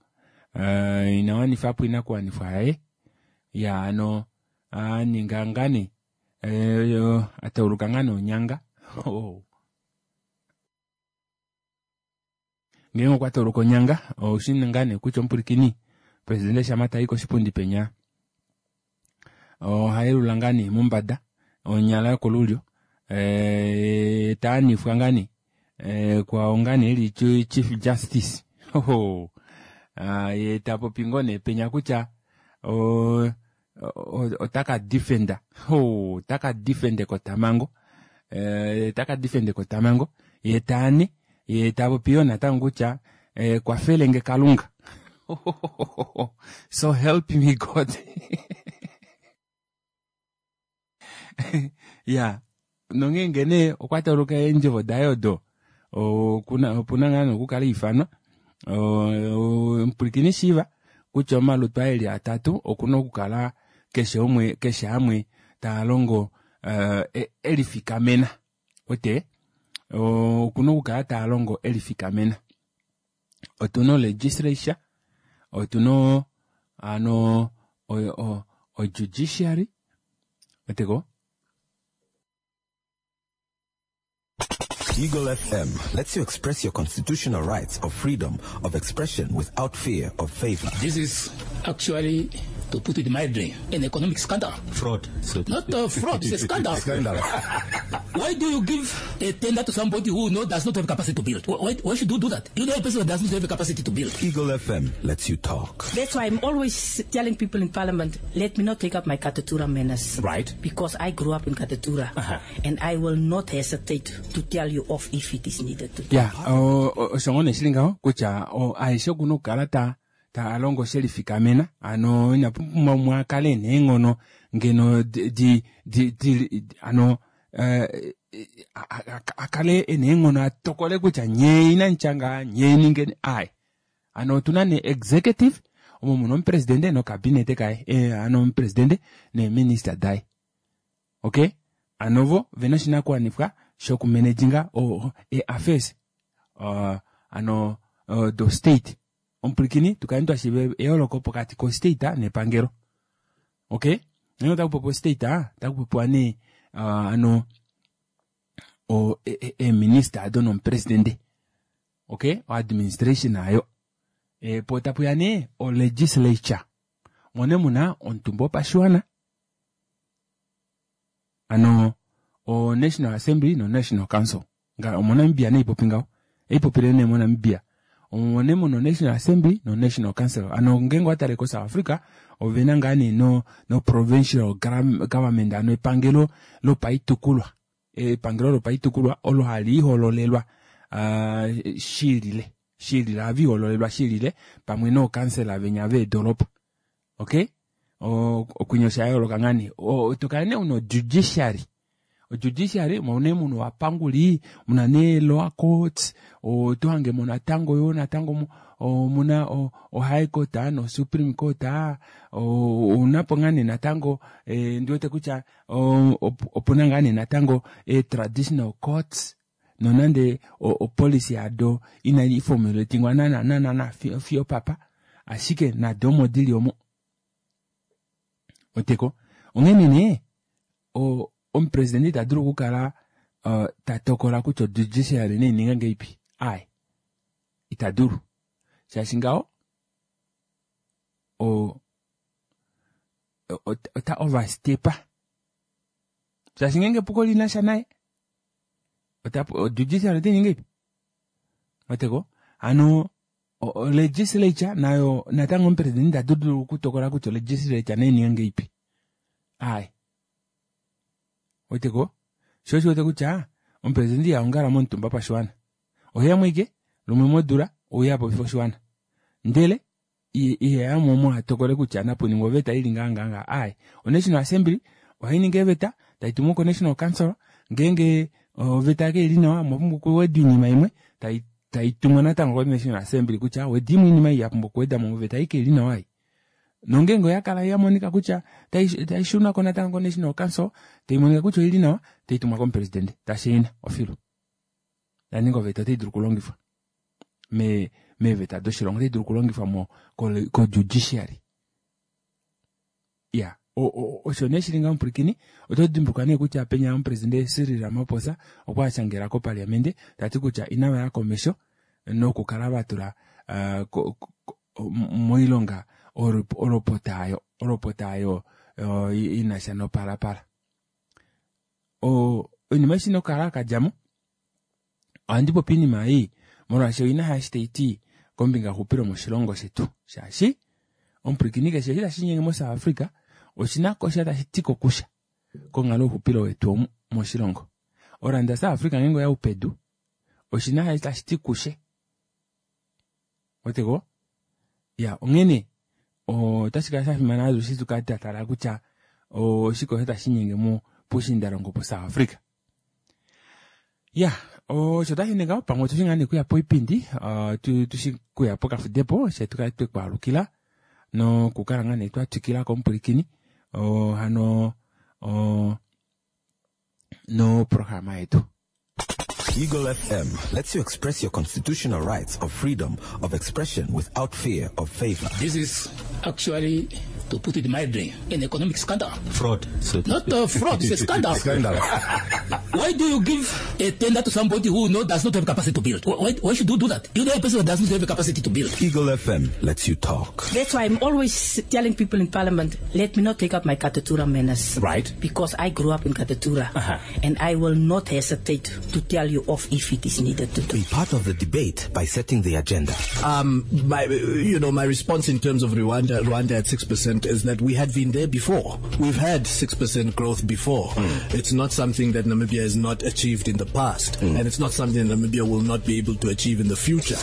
inawanifapo oinakuwanifwa yaye iyaa hano aninga ngoo nee atauluka ngoo nee onyanga ngeenge okwa tauluka onyanga oushi ngaa nee kutya omupwilikini presidente shama tayi koshipundi penya ohayelula ngoo nee mombada onyala yokolulyo ee taanifwa ngoo nee kwao ngoo nee eli chief justice yee tapopi ngoo nee penya kutya oo otaka defend otaka defend ekotamhango otaka defend ekotamhango yee taane yee tapopi yoo natango kutya kwafelenge kalunga so help me God iya nongeenge nee okwa tauluka eendjovo daye odo okuna ngoo nee okukala aifanwa omupwilikini shiiva kutya omalutu aa eli atatu okuna okukala keshe umwe keshe amwe taalongo elifikamena uwete okuna okukala taalongo elifikamena otuna o legislature otuna hano o judiciary ouweteko Eagle F M lets you express your constitutional rights of freedom of expression without fear of favor. This is actually, to put it mildly, an economic scandal. Fraud. So Not a fraud, it's a scandal. Scandal. Why do you give a tender to somebody who no, does not have capacity to build? Why, why should you do that? You know a person who does not have the capacity to build. Eagle F M lets you talk. That's why I'm always telling people in Parliament, let me not take up my Katutura manners. Right. Because I grew up in Katutura. Uh-huh. And I will not hesitate to tell you off if it is needed to. Ya, osho ngoo nee shili ngaho kutya aeshe okuna okukala ta taalongo shelifikamena hano ina pumbwa umwe akale ena eenghono ngeno di di di hano akale ena eenghono atokole kutya nyee inamutya ngaha nyee ningeni aaye hano otuna nee executive omo muna omupresidente nokabinete kaye hano omupresidente neeminister daye okay hano vo vena oshinakuwanifwa shokumanaginga ee-affairs hano do state omupwilikini tukale twashiiva eyooloko pokati ko state nepangelo okay ngeenge otakupopiwa state otakupopiwa nee hano eeminister ado nomupresidente okay o administration aayo poo tapuya nee o legislature omo nee muna omutumba wopashiwana hano o national assembly no national council omo Namibia nee ipopi ngaho eipopile nee mo Namibia omo nee muna national assembly no national council hano ngeenge owatale ko South Africa ovena ngaa nee no, no provincial government hano epangelo lopaitukulwa epangelo lopaitukulwa olo haliihololelwa uh, shilile shilile haviihololelwa shilile pamwe nookansela venya veedoropa okay okwinya osha yooloka ngaa nee tokala nee una judiciary judiciary omo nee muna ovapanguli muna nee lower courts otohangemo natango yoo natango omuna o high court no supreme court ounapo ngaa nee natango ndiwete kutya opuna ngaa nee natango e traditional courts nonande opolicy yado inai formulatingwa naana naana fiyo papa ashike nado omo dili omo oteko onghene nee omupresidente ita dulu okukala tatokola kutya judiciary naininge ngahelipi aaye ita dulu shaashi ngaho ota overstepa shaashi ngeenge epuko linasha naye judiciary otainingi ngahelipi oteko hano legislature nayo natango omupresidente ita dulu okutokola kutya legislature naininge ngahelipi aaye oteko sho osho wete kutya omupresidente ihaongala momutumba pashiwana oheya mwike lumwe modula ouya apopifa oshiwana ndele iheyamo omo atokole kutya napuningwa oveta ili ngaa ngaa ngaa aaye o national assembly Ohainingi eeveta taitumwa ko national council ngeenge oveta kaili nawa omwapumbwa okuweda oinima imwe taitumwa natango ko national assembly kutya wedimwe oinima ei yapumbwa okuwedamo moveta ei kaili nawa ei. Nongeenge oyakala yamonika kutya taishunwako natango ko national council taimonika kutya oili nawa taitumwa komupresidente tashaina ofilu. Yaninga oveta otaidulu okulongifwa me meeveta doshilongo otaidulu okulongifwa mo ko judiciary. Ya osho nee shili ngaho omupwilikini oto dimbuluka nee kutya penya omupresidente Cyril Ramaphosa okwa ashangela kopaliamente tati kutya inavaya komesho nokukala vatula uh, moilonga olopota ayo olopota ayo inasha nopalapala. O oinima eshi nokukala kadjamo ohandi popi oinima ei molwaashi oina hashi taiti kombinga yoxupilo moshilongo shetu shaashi omupwilikini keshe eshi tashi linyenge mo South Africa oshina kosha tashi ti kokusha konghalo youxupilo wetu moshilongo. Oranda South Africa ngeenge oya upedu oshina tashi ti kushe oteko ya onghene otashi kala shafimana alushe tukale twatala kutya oshike osho tashi linyenge mo pushindalongo po South Africa. Ya osho tashi ninga pamwe otushi ngaa nee kuya poipindi tushi kuya pokafudepo fye tukale twekwaalukila nokukala ngaa nee twatwikila komupwilikini hano noprograma yetu. Eagle F M lets you express your constitutional rights of freedom of expression without fear of favor. This is actually, to put it mildly, an economic scandal. Fraud. So Not a fraud, it's a scandal. Scandal. Why do you give a tender to somebody who no, does not have capacity to build? Why, why should you do that? You know a person who does not have capacity to build. Eagle F M lets you talk. That's why I'm always telling people in parliament, let me not take up my Katutura manners. Right. Because I grew up in Katutura. Uh-huh. And I will not hesitate to tell you off if it is needed to do. Be part of the debate by setting the agenda. Um, my, you know, my response in terms of Rwanda, Rwanda at six percent is that we had been there before. We've had six percent growth before. Mm. It's not something that Namibia has not achieved in the past. Mm. And it's not something that Namibia will not be able to achieve in the future.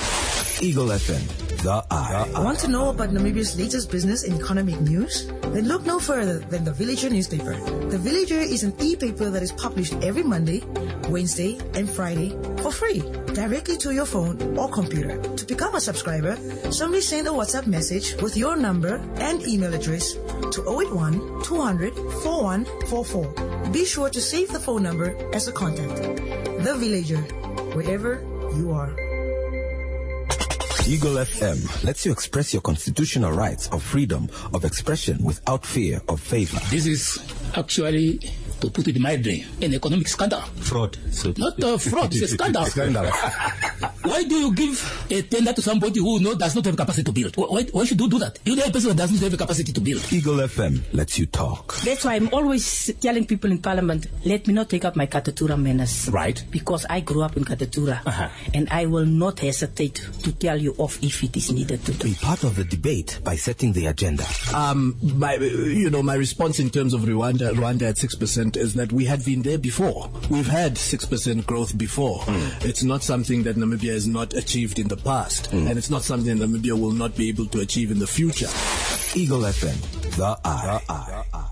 Eagle F M, the eye. Want to know about Namibia's latest business and economic news? Then look no further than the Villager newspaper. The Villager is an e-paper that is published every Monday, Wednesday, and Friday for free, directly to your phone or computer. To become a subscriber, simply send a WhatsApp message with your number and email address to oh eight one, two hundred, four one four four. Be sure to save the phone number as a contact. The Villager, wherever you are. Eagle F M lets you express your constitutional rights of freedom of expression without fear of favor. This is actually, to put it mildly, an economic scandal. Fraud. So Not a fraud, it's a scandal. Scandal. Why do you give a tender to somebody who no, does not have capacity to build? Why, why should you do that? You know a person who does not have capacity to build. Eagle F M lets you talk. That's why I'm always telling people in parliament, let me not take up my Katutura manners. Right. Because I grew up in Katutura. Uh-huh. And I will not hesitate to tell you off if it is needed to do. Be part of the debate by setting the agenda. Um, my, you know, my response in terms of Rwanda, Rwanda at six percent is that we had been there before. We've had six percent growth before. Mm. It's not something that Namibia has not achieved in the past. Mm. And it's not something that Namibia will not be able to achieve in the future. Eagle F M, the eye. The eye.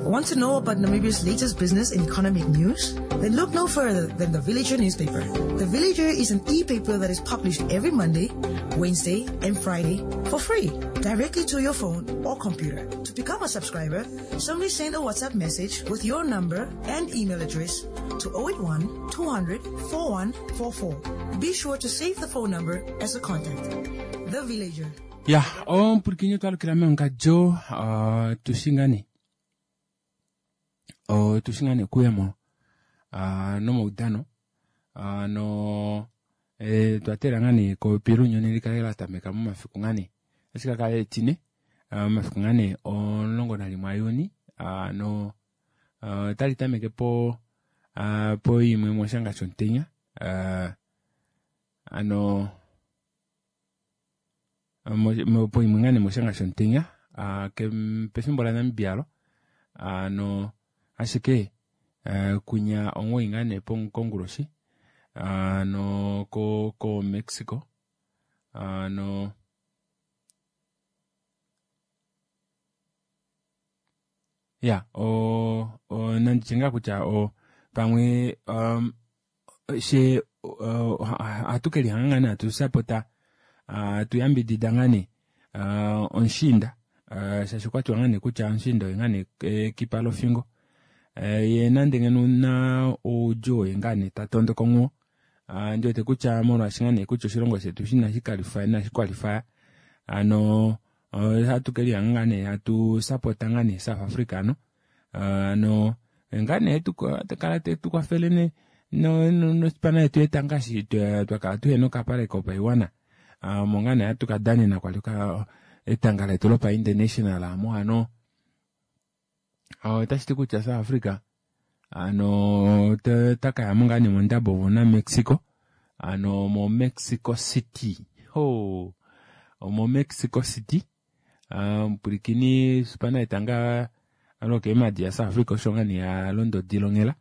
Want to know about Namibia's latest business and economic news? Then look no further than the Villager newspaper. The Villager is an e-paper that is published every Monday, Wednesday, and Friday for free, directly to your phone or computer. To become a subscriber, simply send a WhatsApp message with your number and email address to oh eight one, two hundred, four one four four. Be sure to save the phone number as a contact. The Villager. Ya, omupwilikini twalukila meongadjo tushingane. O tushingane kuyamo uh, nomaudano uh, no e, twatela ngane kopi lunyoni likale latameka momafiku ngane ashike kale etine uh, momafiku ngane omulongo nalimwe aJuni uh, no uh, tali tameke po uh, po imwe moshanga shomutenya uh, ano mo, po imwe ngane moshanga shomutenya uh, pefimbo la Namibia lo uh, no ashike uh, kunya omugoyi ngane konguloshi uh, no ko, ko Mexico uh, no Ya o o nanditye ngaa kutya o pamwe um, she ohatu kelihanga ngaa nee hatu sapota hatu yambidida ngaa nee omushiinda shaashi okwatiwa ngaa nee kutya omushiinda oye ngaa nee ekipa lofingo ye nande ngeno una oudjuu oye ngaa nee tatondoka onghuwo ndiwete kutya molwaashi ngaa nee kutya oshilongo shetu inashi qualifya hano ohatu kelihanga ngaa nee hatu sapota ngaa nee South Africa hano hano ngaa nee kala tetukwafele nospana yetu yetanga eshi twakala tuhena okapale kopaiwana omo ngaa nee hatu kadanena kwali etanga letu lopa international aamo hano otashiti kutya South Africa hano otakayamo ngaa nee mondabo vo na Mexico hano mo Mexico City ho omo Mexico City mupwilikini spana yetanga lokeemadi ya South Africa osho ngaa nee yalonda odila onghela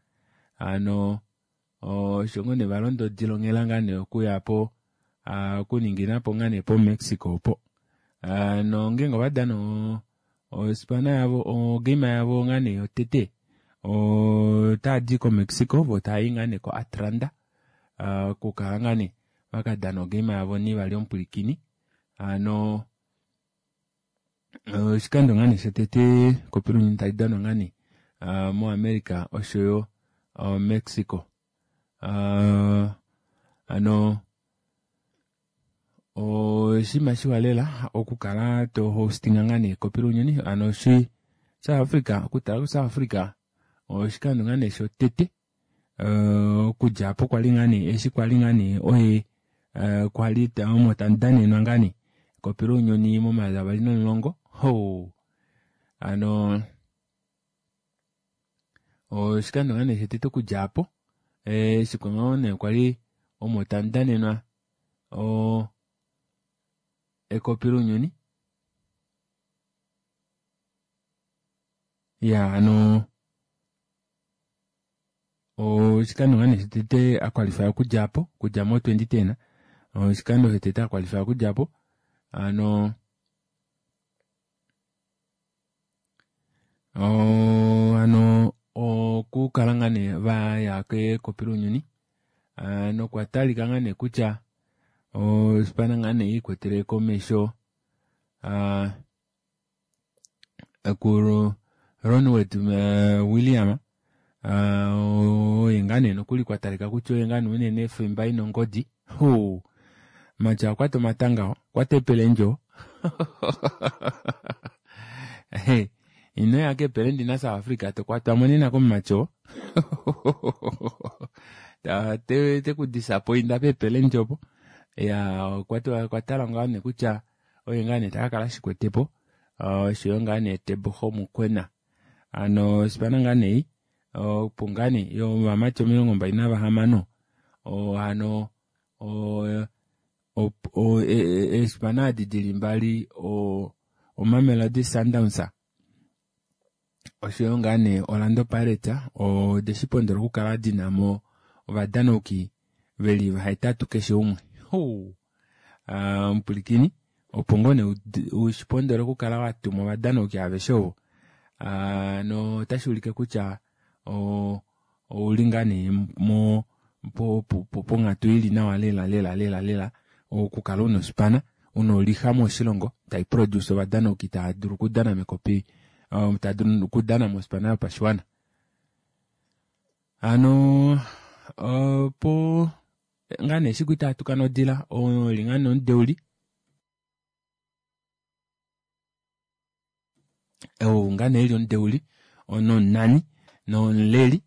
hano osho ngoo nee valonda odila onghela ngaa nee okuyapo okuninginapo ngaa nee po Mexico opo nongenge ovadana ospana yavo ogame yavo ngaa nee yotete otaadi ko Mexico vo taayi ngaa nee ko Atlanta okukala ngaa nee vakadana ogame yavo nivali omupwilikini hano oshikando ngaa nee shotete ekopi lounyuni talidanwa ngaa nee mo America oshoyo Mexico hano oshinima shiwa lela okukala to hostinga ngaa nee ekopi lounyuni hano shi South Africa okutala ku South Africa oshikando ngaa nee shotete okudja apo kwali ngaa nee eshi kwali ngaa nee oye kwali omo tamudanenwa ngaa nee ekopi lounyuni momayovi avali nomulongo ho hano oshikando ngaa nee shotete okudja apo eshi ngoo nee kwali omo tamudanenwa o ekopi lounyuni ya hano oshikando ngaa nee shotete akwalify okudja apo okudja mo twenty ten oshikando shotete akwalify okudja apo hano hano okukala ngaa nee vaya kekopi lounyuni nokwatalika ngaa nee kutya ospana ngaa nee ikwetele komesho ku Ronwen William oye ngaa nee nokuli kwatalika kutya oye ngaa nee unene femba ina ongodi ho matya okwata omatanga okwata epelendjo inoya kepelendi na South Africa tokwatwamo nena komumatyo tekudisappointa pepelendjo opo ya okwatala ngaa nee kutya oye ngaa nee takakala shikwetepo oshoyo ngaa nee Teboho Mokoena hano sipana ngaa nee opo ngaa nee yovamati omilongo mbali navahamano hano eespana adi dili mbali oMamelodi Sundowns oshoyo ngaa nee Orlando Pirates odeshipondola okukala dinamo ovadanauki veli vahetatu keshe umwe mupwilikini opo ngoo nee ushipondole okukala watuma ovadanauki aveshe ovo no otashi ulike kutya ouli ngaa nee mo ponghatu ili nawa lela lela lela lela okukala una ospana una oliha moshilongo tai produce ovadanauki tava dulu okudana mekopi tava dulu okudana mospana yopashiwana hano opo ngaa nee esiku itatuka nodila oli ngaa nee omudeuli ngaa nee eli omudeuli nomunani nomuleli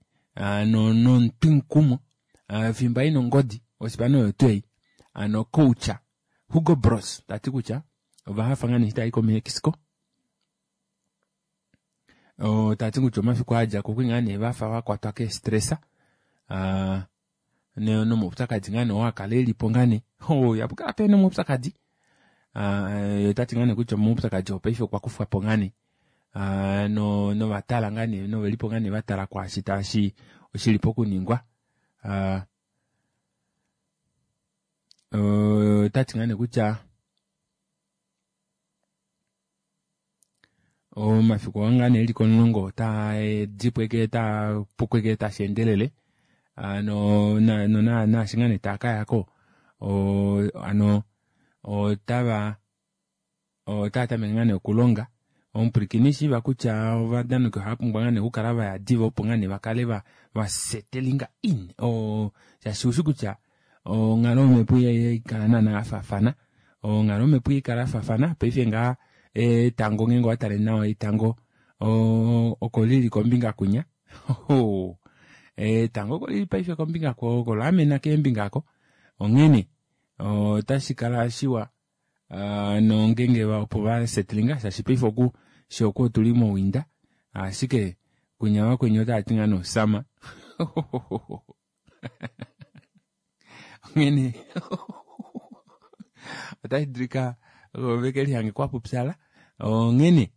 nomutwimukumo fimbo aina ongodi ospana oyo tuu ei hano coach Hugo Broos tati kutya ovahafa ngaa nee eshi taayi ko Mexico tati kutya omafiku aadjako okwali ngaa nee vafa vakwatwa keestressa nomaupyakadi ngaa nee oo akala elipo ngaa nee ihapukala pena omaupyakadi otati ngaa nee kutya omaupyakadi oo paife okwa kufwapo ngaa nee novatala ngaa nee novelipo ngaa nee vatala kwaashi tashi shilipo okuningwa otati ngaa nee kutya Omafiku oo ngaa nee eli komulongo otaa dipo ashike taa puko ashike tasheendelele hano naashi ngaa nee taakayako hano otava otaatameke ngaa nee okulonga. Omupwilikini shiiva kutya ovadanauki ohaapumbwa ngaa nee okukala vaya diva opo ngaa nee vakale vasettlinga in shaashi oushi kutya onghalo yomepo ihaikala naana yafaafana onghalo yomepo ihaikala yafaafana. Paife ngaha etango ngenge owatale nawa etango oko lili kombinga kwinya etango okolili paife kombinga oko laamena keembinga aako onghene otashikala shiwa nongenge opo vasettlinga shaashi paife oku fyee oku otuli mo winter ashike kwinya vakweni otavati ngoo nee osummer onghene otashidulika vekelihange kwapupyala onghene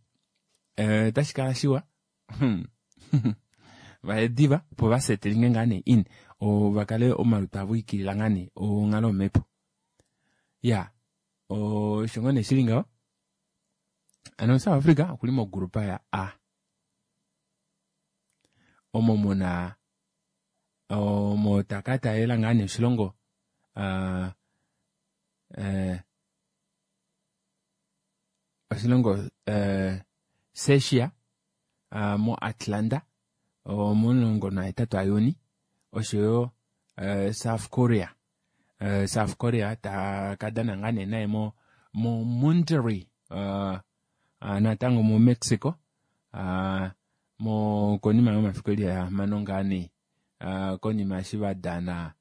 otashikala shiwa vaye diva opo vasettlinge ngaa nee in vakale omalutu avo aikilila ngaa nee onghalo yomepo. Iyaa osho ngoo nee shili ngaho hano South Africa okuli mo group ya A omo muna omo takataalela ngaa nee oshilongo aa oshilongo Czechia mo Atlanta momulongo nahetatu a juni oshoyo South Korea South Korea takadana ngaa nee naye mo Monterrey natango mo Mexico konima yomafiku eli ahamano ngaa nee konima eshi vadana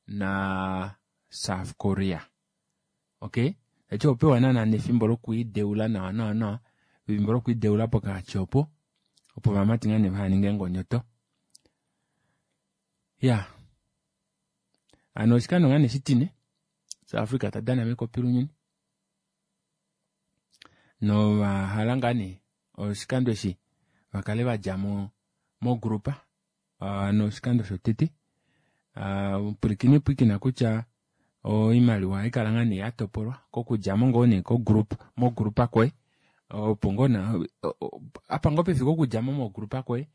na South Korea. Okey tashiti ohopewa naana nefimbo lokwiideula nawa nawa nawa efimbo lokwiideula pokati opo opo ovamati ngoo nee vahaninge eengonyoto. Iyaa hano oshikando ngaa nee oshitine South Africa tadana mekopi lounyuni novahala ngaa nee oshikando eshi vakale vadjamo mo group hano oshikando shotete pwilikina pwilikina kutya oimaliwa ohaikala ngoo nee yatopolwa kokudjamo ngoo nee ko group mo group koye opo ngoo apa ngoo pefike okudjamo mo group koye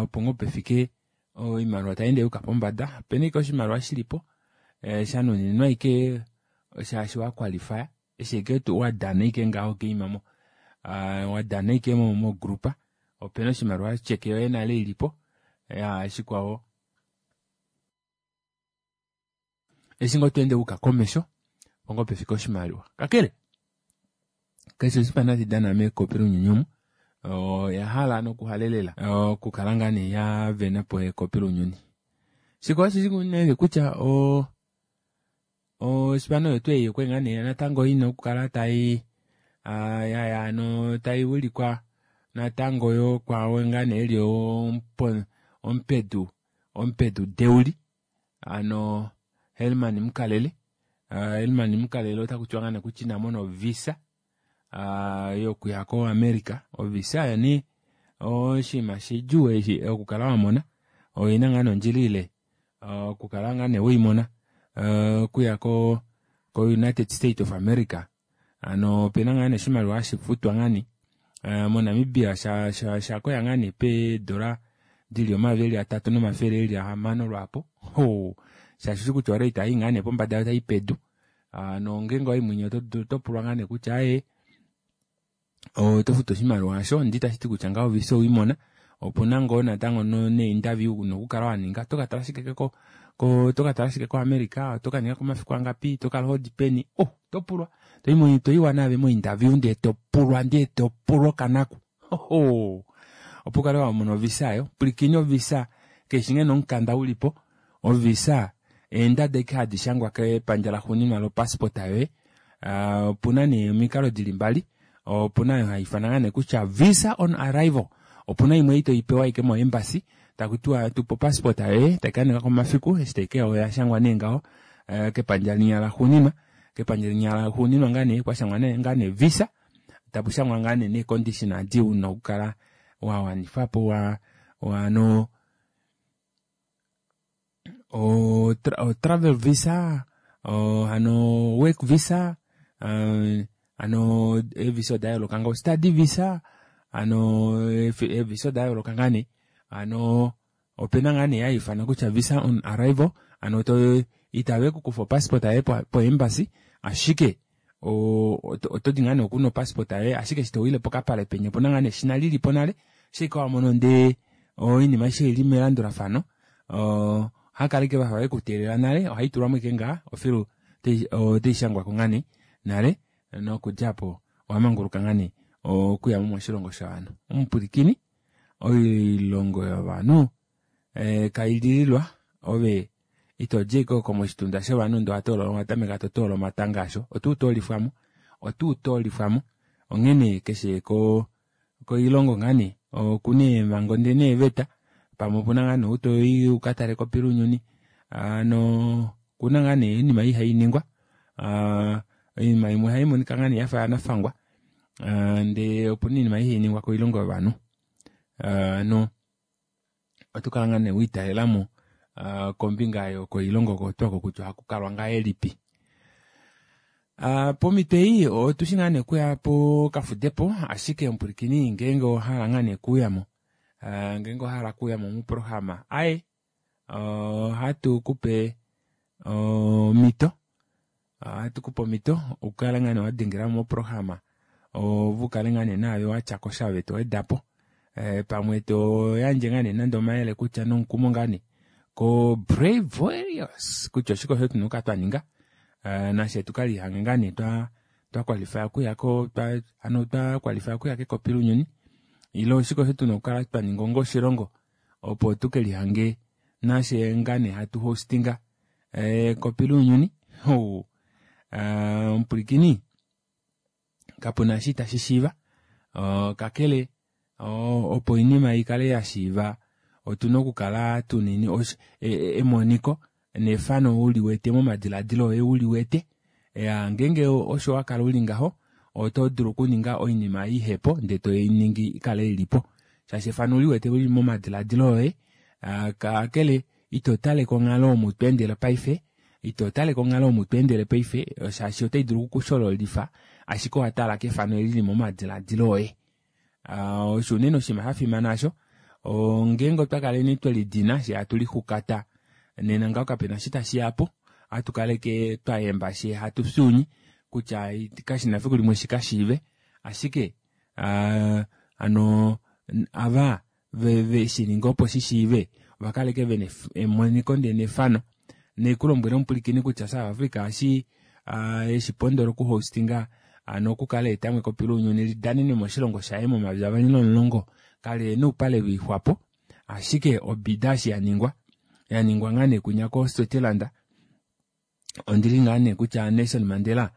opo ngoo pefike oimaliwa tayeende yayuka pombada. Opena ashike oshimaliwa shilipo shanuninwa ashike shaashi waqualifya eshi ashike wadana ashike ngaho ogame omo wadana ashike mo group opena oshimaliwa otyeke yoye nale ilipo iyaa shikwao eshi ngoo tweende wayuka komesho opo ngoo pefike oshimaliwa. Kakele keshe oshipana tashi dana mekopi lounyuni omu oyahala noku halelela okukala ngaa nee yavenapo ekopi lounyuni. Shikwao osheshi nee kutya oo ospana oyo tuu ei okwali ngaa nee natango ina okukala tai yaya hano taiwilikwa natango yoo kwao ngaa nee eli omupedu omupedu deuli hano Helman Mkhalele Helman Mkhalele otakutiwa ngaa nee kutya inamona o visa yokuya ko america. O visa oyo nee oshinima shidjuu eshi okukala wamona oina ngaa nee ondjila ile okukala ngoo nee weimona okuya ko united state of america hano opena ngaa nee oshimaliwa hashifutwa ngaa nee mo namibia oshakoya ngaa nee peedora dili omayovi eli atatu nomafele eli ahamano lwaapo shaashi oushi kutya orate ohayi ngaa nee pombada yoo tayi pedu hano ngenge owayi mwinya otopulwa ngaa nee kutya aaye otofutu oshimaliwa aasho ndee itashiti kutya ngaho ovisa oweimona opuna ngoo natango nee interview una okukala waninga otokatala shike ko otokatala shike ko america otokaningako omafiku angapi otokala hodi peni oh otopulwa toyiwa naave mo interview ndee topulwa ndee topulwa okanaku ohoo opo ukale wamona ovisa aayo pwilikina ovisa kaifi ngeno omukanda ulipo ovisa eendada ashike hadi shangwa kepandja laxuuninwa lo passport yoye opuna nee omikalo dili mbali opuna aayo haifanwa ngaa nee kutya visa on arrival opuna imwe ei toipewa ashike mo embassy takutiwa tupa opassport yoye taikaningako omafiku eshi taikeya oyashangwa nee ngaho kepandja linya laxuuninwa kepandja linya laxuuninwa ngaa nee kwashangwa ngaa nee visa tapushangwa ngaa nee nee condition adi una okukala wawanifapo hano o travel visa hano work visa hano ee visa odayooloka ngaho study visa Ano eevisa odayooloka ngaa nee hano opena ngaa nee hayiifanwa kutya visa on arrival hano to itavekukufa opassport yoye po embassy ashike otodi ngaa nee oku nopassport yoye ashike eshi towile pokapale penya opena ngaa nee eshina lilipo nale shaike wamono ndee oinima aishe oili melandulafano oo ohaakala ashike vafa vekuteelela nale ohaitulwamo ashike ngaha ofilu otaishangwako ngaa nee nale nokudja aapo owamanguluka ngaa nee okuyamo moshilongo shovanhu. Omupwilikini oilongo yovanhu kailililwa ove itodi ashike oko moshitunda shovanhu ndee owatameka totoola omatanga asho otuutolifwamo otuutolifwamo onghene keshe koilongo ngaa nee okuna eemhango ndee neeveta pamwe opuna ngoo nee ou toyi ukatale ekopi lounyuni hano okuna ngoo nee oinima ihainingwa aa oinima imwe ohaimonika ngoo nee yafa yanafangwa ndee opena oinima ihainingwa koilongo yovanhu hano otokala ngoo nee wiitalelamo kombinga yokoilongo oko tuu oko kutya ohakukalwa ngahelipi. Pomito ei otushi ngaa nee okuya pokafudepo ashike omupwilikini ngenge owahala ngoo nee okuuyamo ngenge owahala okuuyamo moprograma aaye ohatukupe omito ohatukupe omito ukale ngoo nee wadengelamo moprograma ove ukale ngoo nee naave watyakosha ove towedapo pamwe toyandje ngoo nee nande omayele kutya nomukumo ngoo nee ko brave warriors kutya oshike osho tuna okukala twaninga nafye tukelihange ngoo nee twa qualify okuya hano twa qualify okuya kekopi lounyuni ile oshike osho tuna okukala twaninga onga oshilongo opo tukelihange nafye ngaa nee hatu hostinga ekopi lounyuni ou omupwilikini kapuna eshi ita shishiiva kakele opo oinima ikale yashiiva otuna okukala tuna emoniko nefano uliwete momadilaadilo oye uliwete iyaa ngenge osho wakala uli ngaho otodulu okuninga oinima ihepo ndee toiningi ikale ilipo shaashi efano ouliwete lili momadilaadilo oye kakele itotale konghalo omo tweendele paife itotale konghalo omu tweendele paife shaashi otaidulu oku kushololifa ashike owatala kefano eli lili momadilaadilo oye. Osho unene oshinima shafimana aasho ngenge otwa kaleni twelidina fyee hatu lixukata nena ngaho kapena eshi tashiyapo ohatukala ashike twayemba fyee hatu fyuunye kutya kashina efiku shikashiive ashike hano ava veshininga opo shishiive ovakala ashike vena emoniko ndee nefano naikulombwele omupwilikini kutya South Africa eshi eshipondola oku hostinga hano okukala aetamo ekopi lounyuni lidanenwe moshilongo shaye momayovi avali nomulongo kali ena oupale velixwapo ashike obida eshi yaningwa yaningwa ngoo nee kunya ko Switzerland ondili ngoo nee kutya Nelson Mandela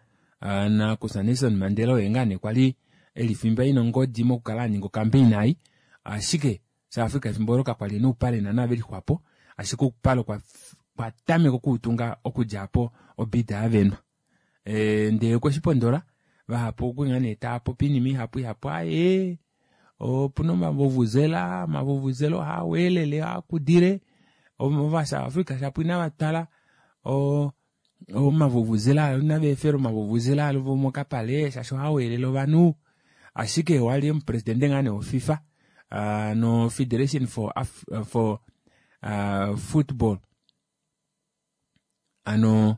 nakufya Nelson Mandela oye ngoo nee kwali eli fimba ena ongodi mokukala aninga ocampaign ei ashike South Africa efimbo olo kakwali ena oupale naana velixwapo ashike oupale okwatameka okuutunga okudja aapo obida yavenwa ndee okweshipondola vahapu okwali ngoo nee taapopi oinima ihapu ihapu aaye opuna omavuvuzela omavuvuzela ohaaweelele ohaakudile ova South Africa shapo inavatwala omavuvuzela inaveefela omavuvuzela avo mokapale shaashi ohaaweelele ovanhu ashike wali omupresident ngoo nee wo FIFA no federation for, for uh, football hano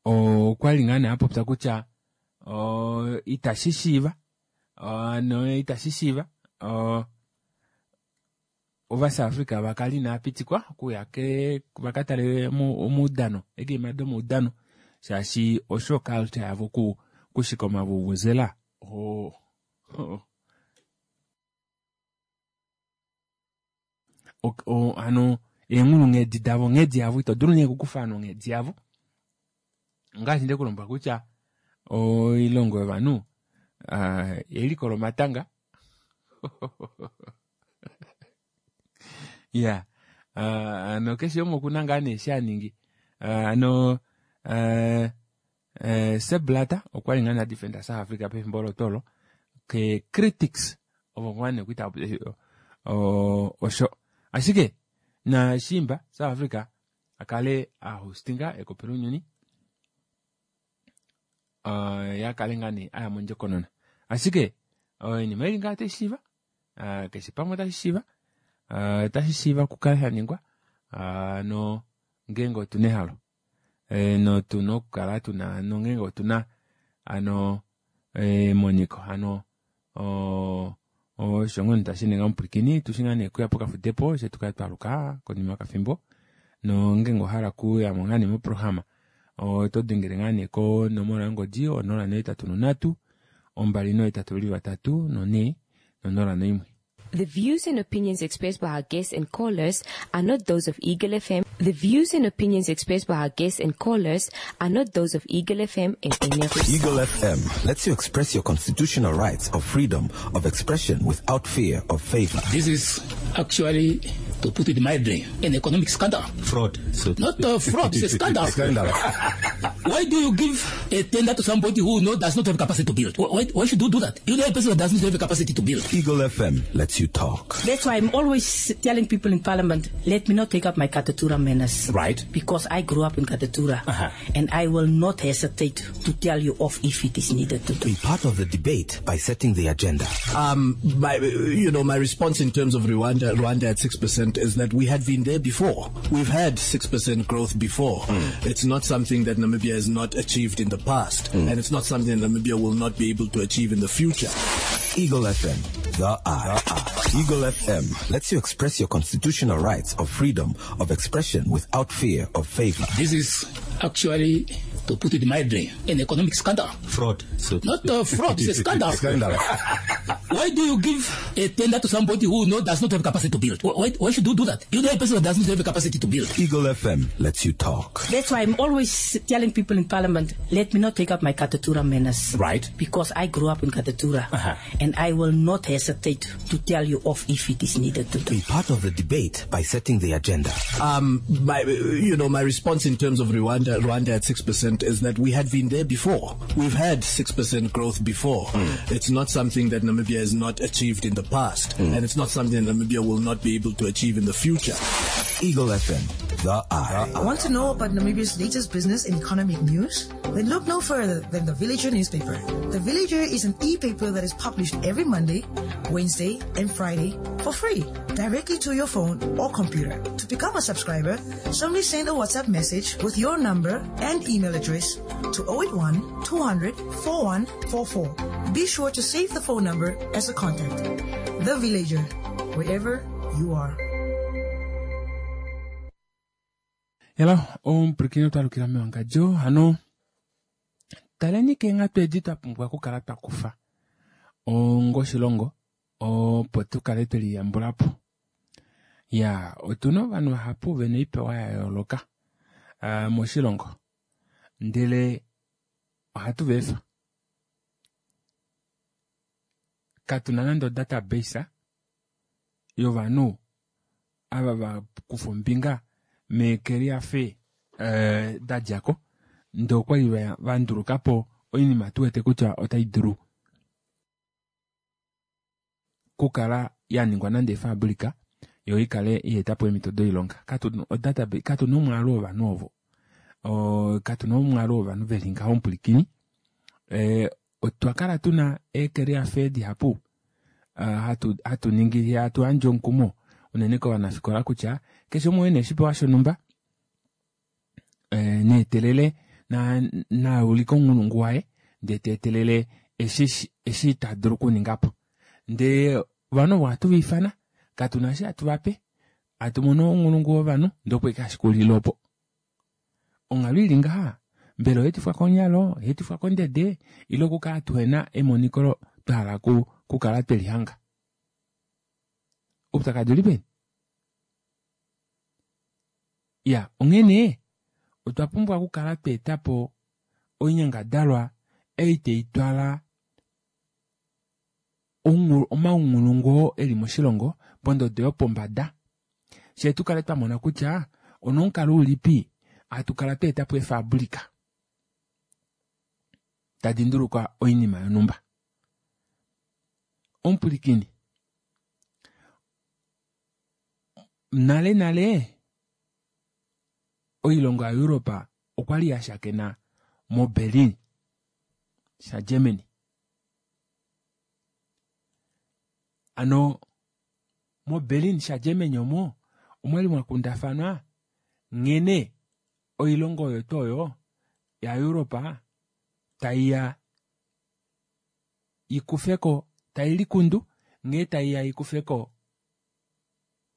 okwali ngoo nee apopya kutya itashishiiva hano itashishiiva ova South Africa vakale inaapitikwa okuya vakatale omaudano eegame domaudano shaashi osho culture yavo okushika omavuvuzela hano eenghulunghedi davo onghedi yavo ito dulu nee okukufa ovanhu onghedi yavo ongaashi ndekulombwela kutya oilongo yovanhu eliko lomatanga iya hano keshe umwe okuna ngaa nee eshi haningi hano Sepp Blatter okwali ngoo nee adefenda South Africa pefimbo olo tuu olo ke critics ovo ngoo nee kwali tavapopi osho ashike nashiimba South Africa akale ahostinga ekopi lounyuni uh, yakale ngaa nee aya mondjokonona. Ashike oinima ili ngaa otayi shiiva, uh, keshe pamwe otashi shiiva, uh, otashi shiiva okukala shaningwa, uh, no ngeenge otuna ehalo e, notuna okukala tuna nongeenge otuna ano emoniko hano osho ngoo tashi ninga omupwilikini tushi ngaa nee kuya pokafudepo she tukale twaluka konima yokafimbo nongeenge owahala kuyamo ngaa nee moprograma oto dengele ngaa nee konomola yongodi onola nohetatu nonhatu ombali nohetatu veli vatatu nonhee nonola noimwe. The views and opinions expressed by our guests and callers are not those of Eagle F M. The views and opinions expressed by our guests and callers are not those of Eagle F M and any of its Eagle F M lets you express your constitutional rights of freedom of expression without fear of favor. This is actually, to put it mildly, an economic scandal. Fraud. So Not a fraud, it's a scandal. Scandal. Why do you give a tender to somebody who no, does not have capacity to build? Why, why should you do that? You know a person that does not have the capacity to build. Eagle F M lets you talk. That's why I'm always telling people in Parliament, let me not take up my Katutura manners. Right. Because I grew up in Katutura. Uh-huh. And I will not hesitate to tell you off if it is needed to do. Be part of the debate by setting the agenda. Um, my, you know, my response in terms of Rwanda, Rwanda at six percent is that we had been there before. We've had six percent growth before. Mm. It's not something that Namibia has not achieved in the past. Mm. And it's not something that Namibia will not be able to achieve in the future. Eagle F M, the eye. Eagle F M lets you express your constitutional rights of freedom of expression without fear of favor. This is actually, to put it mildly, an economic scandal. Fraud. So Not a fraud, it's a scandal. Scandal. Why do you give a tender to somebody who no, does not have capacity to build? Why, why should you do that? You know a person that does not have the capacity to build. Eagle F M lets you talk. That's why I'm always telling people in Parliament, let me not take up my Katutura manners. Right. Because I grew up in Katutura. Uh-huh. And I will not hesitate to tell you off if it is needed to do. Be part of the debate by setting the agenda. Um, my, you know, my response in terms of Rwanda, Rwanda at six percent is that we had been there before. We've had six percent growth before. Mm. It's not something that Namibia has not achieved in the past. Mm. And it's not something that Namibia will not be able to achieve in the future. Eagle F M, the eye. Want to know about Namibia's latest business and economic news? Then look no further than the Villager newspaper. The Villager is an e-paper that is published every Monday, Wednesday, and Friday for free, directly to your phone or computer. To become a subscriber, simply send a WhatsApp message with your number and email address to oh eight one, two hundred, four one four four. Be sure to save the phone number as a contact. The Villager, wherever you are. Hello, omupwilikini otwalukila mewangadjo hano taleni keenghatu edi twa pumbwa okukala twa kufa ongoshilongo opo tukale tweliyambulapo. Ya, otuna ovanhu vahapu vena oipewa ya yooloka uh, moshilongo, ndele ohatu va efa. Katuna nande odatabase yovanhu ava va kufa ombinga meekeliafe uh, da djako, ndee okwali va ndulukapo oinima tuwete kutya otai dulu kukala ya ningwa nande efabrika yo ikale ietapo eemhito doilonga. Katuna odatabase, katuna omwaalu wovanhu ovo, katuna omwaalu wovanhu veli ngaho omupwilikini. Eh, otwa kala tuna eekeliafe dihapu uh, hatu, hatu ningi hatu yandje omukumo unene kovanafikola kutya keshe umwe ena oshipewa shonhumba eh, neetelele na, na ulike omunghulungu waye ndee teetelele eshi, eshi ta dulu okuningapo. Ndee ovanhu ovo ohatu va ifana, katuna eshi hatu vape, hatu mono ounghulungu wovanhu ndee opo ashike hashi opo. Onghalo ili ngaha mbela oyeetifwa konyalo, oyeetifwa kondede, ile okukala tuhena emoniko twa hala kukala twelihanga. Oupyakadi uli peni? Ya, onghene otwa pumbwa okukala tweetapo oinyangadalwa ei taitwala omaunghulungu oo eli moshilongo pondodo yopombada, shee tukale twamona kutya onomukalo ulipi hatu kala tweetapo eefabrika tadi nduluka oinima yonhumba. Omupwilikini, nale nale oilongo yaEuropa okwali ya shakena moBerlin. shaGermany. Ano moBerlin shaGermany omo omwali mwakundafanwa nghene oilongo oyo tuu oyo yaEuropa taiya ikufeko tailikundu nghee taiya ikufeko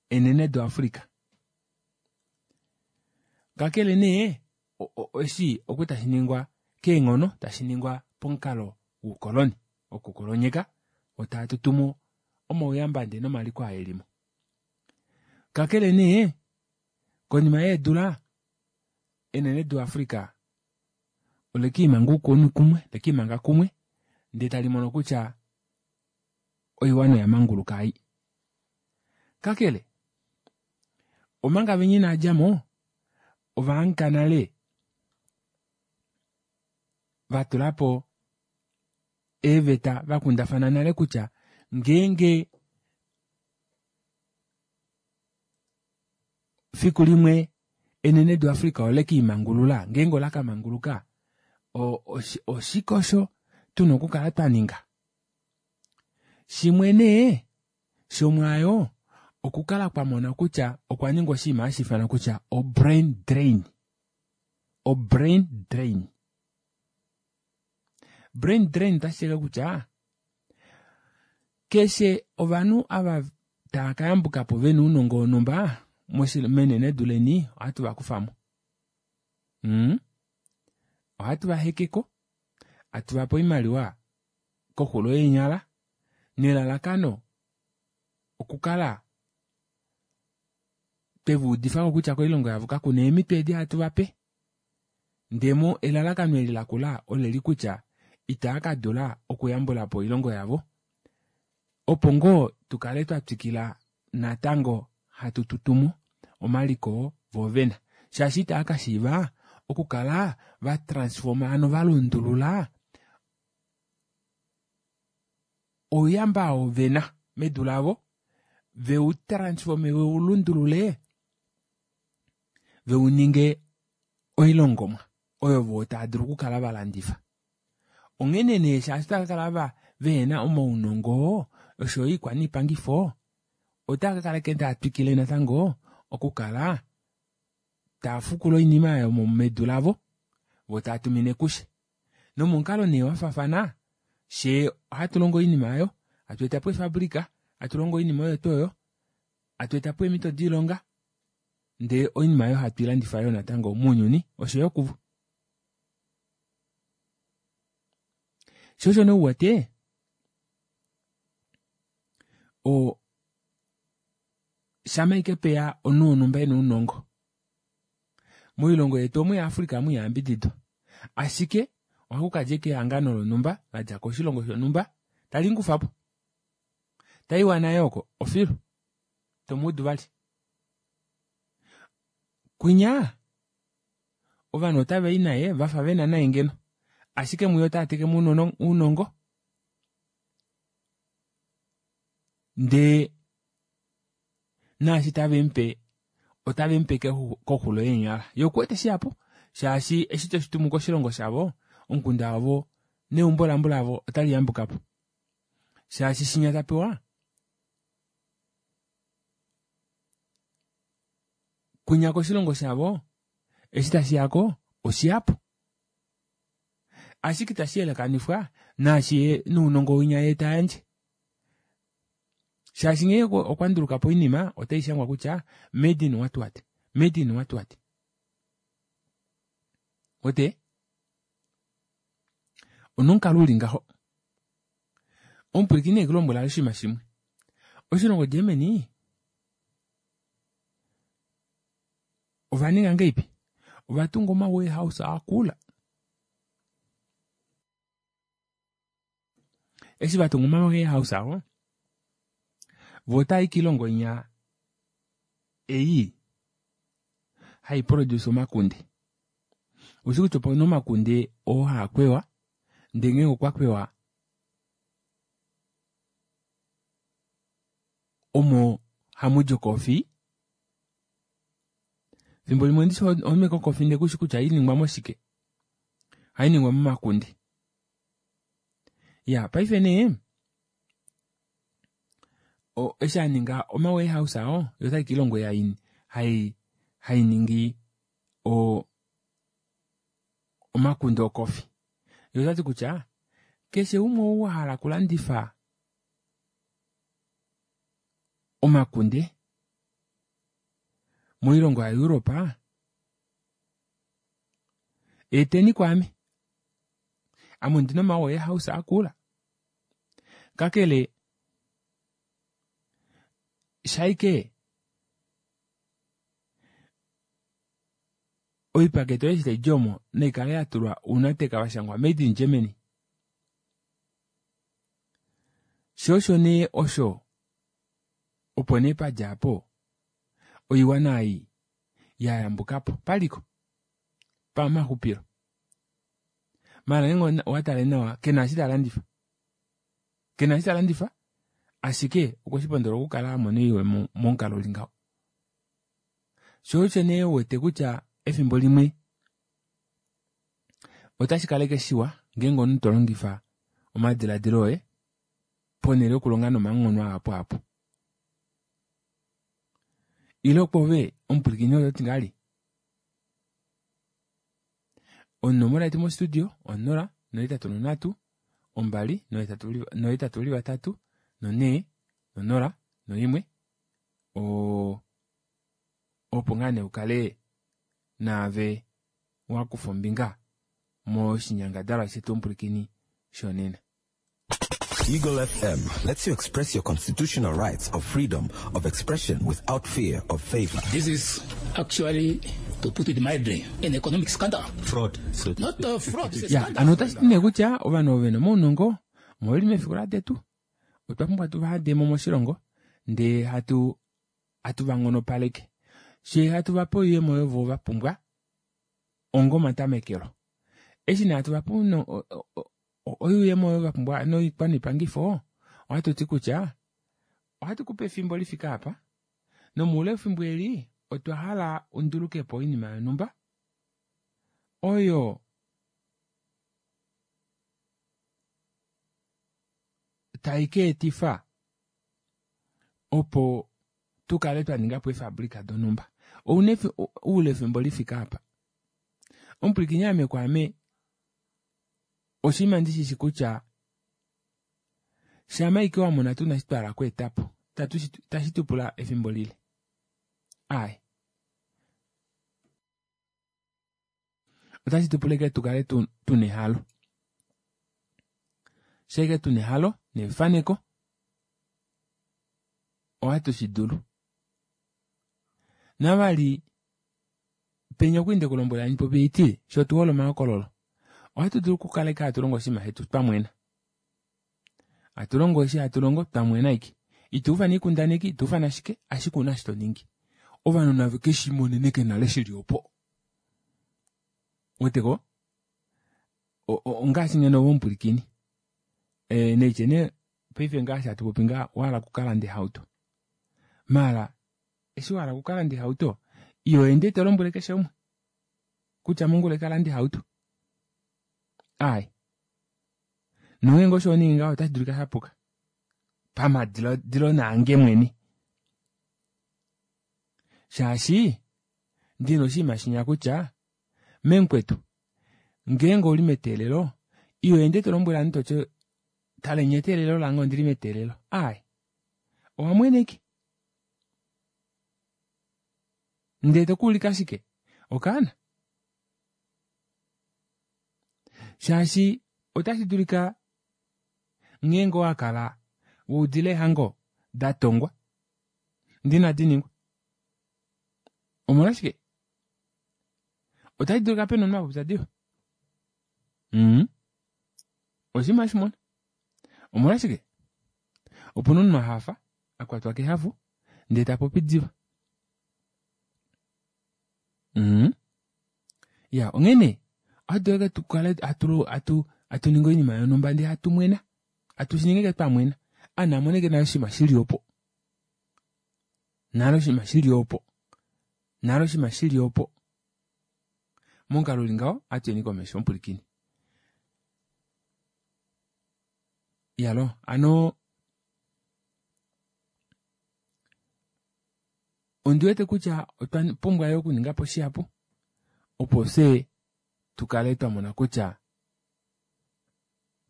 enenedu Africa. Kakele nee eshi oku tashi ningwa keenghono tashi ningwa pomukalo woukoloni wokukolonyeka otava tutumo omauyamba ndee nomaliko aa elimo. Kakele nee konima yeedula enenedu Africa olekiimanga oukuni kumwe lekiimanga kumwe ndee talimono kutya oiwana oya manguluka ei. Kakele omanga venya inaadjamo ovahangika nale vatulapo eeveta vakundafana nale kutya ngeenge fiku limwe enenedu Africa olekiimangulula ngeenge olakamanguluka oshike osho tuna okukala twaninga. Shimwe nee shomwaayo okukala kwamona kutya okwa ningwa oshinima hashi ifanwa kutya o-brain drain. O-brain drain. Brain drain otashi ti kutya keshe ovanhu ava tava kayambuka po vena ounongo wonhumba menenedu leni ohatu vakufamo. Mm? Ohatu vahekeko, hatu vape oimaliwa koxulo yeenyala nelalakano okukala twevaudifako kutya koilongo yavo kakuna eemito edi hatu vape. Ndemo elalakano eli lakula oleli kutya itaa kadula okuyambulapo oilongo yavo opo ngoo tukale twatwikila natango hatu tutumo omaliko voovena shaashi itaa kashiiva okukala vatransforma ano valundulula ouyamba oo vena medu lavo veutransforme veulundulule veuninge oilongomwa oyo voo tava dulu okukala valandifa. Onghene nee shaashi otava kakala vehena omaunongo osho yo oikwaniipangifo otava kakala ashike taa twikile natango okukala taa fukula oinima oyo medu lavo voo tava tumine kushe. Nomomukalo nee wafaafana fyee ohatu longo oinima aayo hatu etapo eefabrika hatu longo oinima oyo tuu oyo hatu etapo eemito doilonga ndee oinima aayo hatu ilandifa yoo natango mounyuni oshoyo kuvo. Sho osho nee uwete o shama ashike peya omunhu wonhumba ena ounongo moilongo yetu omu yaAfrica omu ihayambididwa ashike ohakukadja ashike ehangano lonhumba ladja koshilongo shonhumba talimukufapo taiwa naye oko ofilu tomuudu vali. Kwinya ovanhu otavai naye vafa vena naye ngeno ashike muye otaatekemo ounongo ndee naashi tavemupe otavemupe koxulo yeenyala yee okuwete shihapu shaashi eshi toshitumu koshilongo shavo omukunda wavo neumbo lambulavo otali yambukapo shaashi shinya tapewa kwinya koshilongo shavo eshi tashiyako oshihapu ashike itashi yelekanifwa naashi nounongo winya yee tayandje shaashi ngee okwa ndulukapo oinima otaishangwa kutya made in what what made in what what ote onomukalo uli ngaho. Omupwilikini ekulombwela oshinima shimwe oshilongo Germany ovaninga ngeipi ovatunga oma warehouse akula eshi vatunga oma warehouse ao vo otaayi koilongo inya ei hai produce omakunde. Ushi kutya opena omakunde oo haakwewa ndee ngeenge okwa kwewa omo hamudi okofi. Fimbo limwe ndishi ohonhu ashike okofi ndee kushi kutya ohainingwa moshike, ohainingwa momakunde. Ya paife nee o eshi aninga oma warehouse ao yoo otali kiilongo ei hai hainingi o omakunde okofi yee otati kutya keshe umwe ou wahala okulandifa omakunde moilongo ya Europe eteni kwaame ame ondina oma warehouse akula kakele shaike oipakete oyo eshi taidi omo naikale yatulwa ounateka vashangwa made in Germany. Shoo osho nee osho opo nee padja aapo oiwana ei yayambukapo paliko pamaxupilo maala ngeenge owatale nawa kena eshi talandifa kena eshi talandifa ashike okweshipondola okukala amona oyuuyemo momukalo uli ngaho. Shoo osho nee uwete kutya efimbo limwe otashi kaleke shiwa ngeenge omunhu tolongifa omadilaadilo oye ponele yokulonga nomanghono ahapu ahapu. Ile kwoove omupwilikini ototi ngahelipi? Onomola yetu mo studio onola nohetatu nonhatu ombali nohetatu uli vatatu nonhee nonola noimwe oo opo ngaa nee ukale naave wakufa ombinga moshinyangadalwa shetu omupwilikini shonena. Eagle F M lets you express your constitutional rights of freedom of expression without fear of favor. This is actually, to put it mildly, an economic scandal. Fraud. So Not a fraud, it's a Ya, scandal. ano otashi ti nee kutya ovanhu ovo vena omaunongo omo veli mefiku ladetu otwa pumbwa tuvahademo moshilongo ndee hatu hatu vanghonopaleke shee hatu vape oiyemo oyo vo vapumbwa onga omatamekelo. Eshi nee hatu vape oiyemo oyo vapumbwa noikwanipangifo ohatu ti kutya ohatu kupe efimbo lifike apa nomoule wefimbo eli otwa hala undulukepo oinima yonhumba oyo tai ka etifa opo tukale twaningapo eefabrika donhumba. Ouna oule wefimbo lifike apa. Omupwilikini ame kwaame oshinima ndishishi kutya shama ike wamona tuna eshi twahala okweetapo tashi tupula efimbo lile. Ai. Otashi tupula ike tukale tuna ehalo. Shaike tuna ehalo nefaneko ohatu shidulu. Navali penya okwali ndekulombwela handi popi haiti shoo otuhole omahokololo. Ohatu dulu okukala ike hatu longo oshinima shetu twamwena. Hatu longo eshi hatu longo twamwena ike. Ituufana oikundaneki, ituufana shike, ashike ouna eshi toningi. Ovanhu nave keshimoneneke nale shili opo. Weteko? Ongaashi ngeno ove omupwilikini. E neitye nee paife ngaashi hatu popi ngaha wahala okukalanda ehauto. Maala eshi wahala okukalanda ehauto iho ende tolombwele keshe umwe kutya mongula ekalande ehauto. Ai. Nongeenge osho waningi ngaho otashi dulika shapuka. Pamadiladilo naange mwene. Shaashi ndina oshinima shinya kutya memukwetu ngeenge ouli meteelelo iho ende tolombwele ovanhu toti taleni eteelelo lange ondili meteelelo. Ai. Owamwene ike. Ndee tokuulika shike? Okaana. Shaashi otashi dulika ngeenge owakala waudile ehango datongwa ndina diningwa. Omolwashike? Otashi dulika pena omunhu apopya diva. Mm. Oshinima hashimona. Omolwashike? Opuna omunhu ahafa akwatwa kehafu ndee tapopi diva. Mm. Ya, onghene ohatu dulu tukale hatu hatu hatu ningi oinima yonhumba ndee hatu mwena. Hatu shiningi twamwena. Ana amoneke nale oshinima shili opo. Nale oshinima shili opo. Nale oshinima shili opo. Momukalo uli ngaho, ohatu yeni komesho omupwilikini. Iyalo ano ondiwete kutya otwa pumbwa yoo okuningapo shihapu opo fyee tukale twamona kutya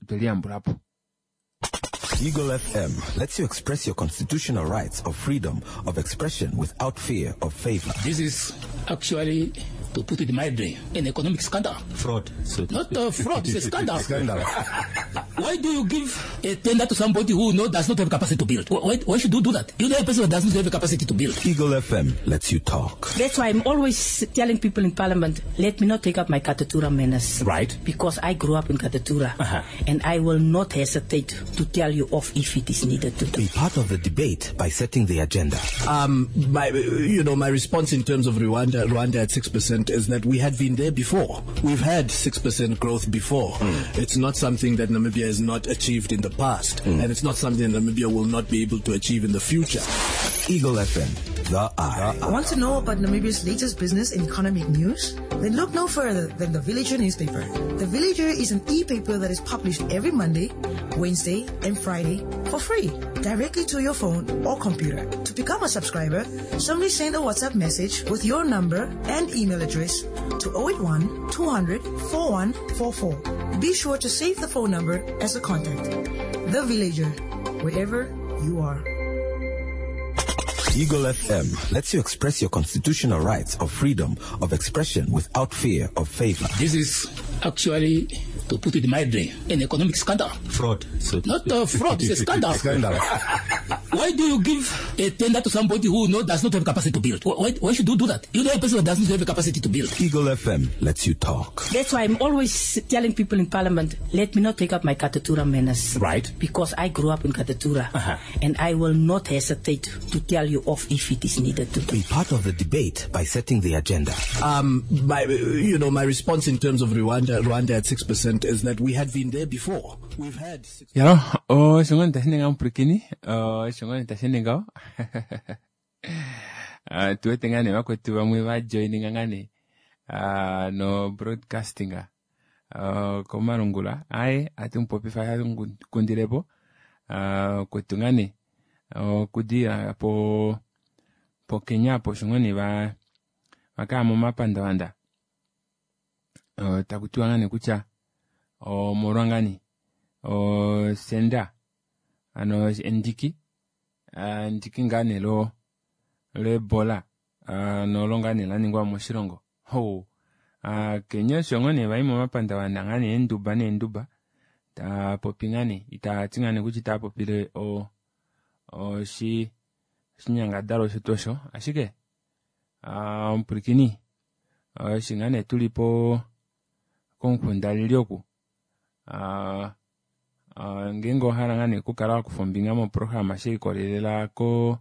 otweliyambulapo. Eagle F M lets you express your constitutional rights of freedom of expression without fear of favor. This is actually, to put it mildly, an economic scandal. Fraud. So Not a fraud, it's a scandal. Scandal. Why do you give a tender to somebody who no, does not have capacity to build? Why, why should you do that? You know a person who does not have the capacity to build. Eagle F M lets you talk. That's why I'm always telling people in Parliament, let me not take up my Katutura manners. Right. Because I grew up in Katutura. Uh-huh. And I will not hesitate to tell you off if it is needed to. Be part of the debate by setting the agenda. Um, my, you know, my response in terms of Rwanda, Rwanda at six percent is that we had been there before. We've had six percent growth before. Mm. It's not something that Namibia has not achieved in the past, mm. and it's not something that Namibia will not be able to achieve in the future. Eagle F M, the Eye. Want to know about Namibia's latest business and economic news? Then look no further than the Villager newspaper. The Villager is an e-paper that is published every Monday, Wednesday, and Friday for free, directly to your phone or computer. To become a subscriber, simply send a WhatsApp message with your number and email address to oh eight one, two hundred, four one four four. Be sure to save the phone number as a contact. The Villager, wherever you are. Eagle F M lets you express your constitutional rights of freedom of expression without fear of favor. This is actually, to put it mildly, an economic scandal. Fraud. So Not a fraud, it's a scandal. Scandal. Why do you give a tender to somebody who no, does not have capacity to build? Why, why should you do that? You know a person who does not have the capacity to build. Eagle F M lets you talk. That's why I'm always telling people in Parliament, let me not take up my Katutura manners. Right. Because I grew up in Katutura. Uh-huh. And I will not hesitate to tell you off if it is needed to. Be part of the debate by setting the agenda. Um, my, you know, my response in terms of Rwanda, Rwanda at six percent is that we had been there before. We've had six Yalo, oh, shongoni tashinenga mpurikini, oh, shongoni tashinenga. Uh, tuwete ngane vakwetu vamwe va joininga ngane, uh, no broadcasting, uh, komalungula. Aye, ati mupopifa ya kundilepo, uh, kwetu ngane, uh, kudira po, po Kenya po shongoni va, vaka momapandavanda. Uh, takutiwa ngane kutya, o molwangani, o senda, ano endiki, uh, endiki ngane lo, lo Ebola, uh, nolo ngane la ningwa moshilongo. Ho, uh, Kenya shongoni vai momapandavanda ngane enduba nenduba, ta popi ngane, ita ti ngane kutya ita popile o, o shi, shinyangadalwa shetu osho, ashike, uh, mpurikini, uh, shingane tuli po komukunda oku. Uh, uh, ngenge ohala ngane kukala wakufa ombinga moprograma she ikolelela ko,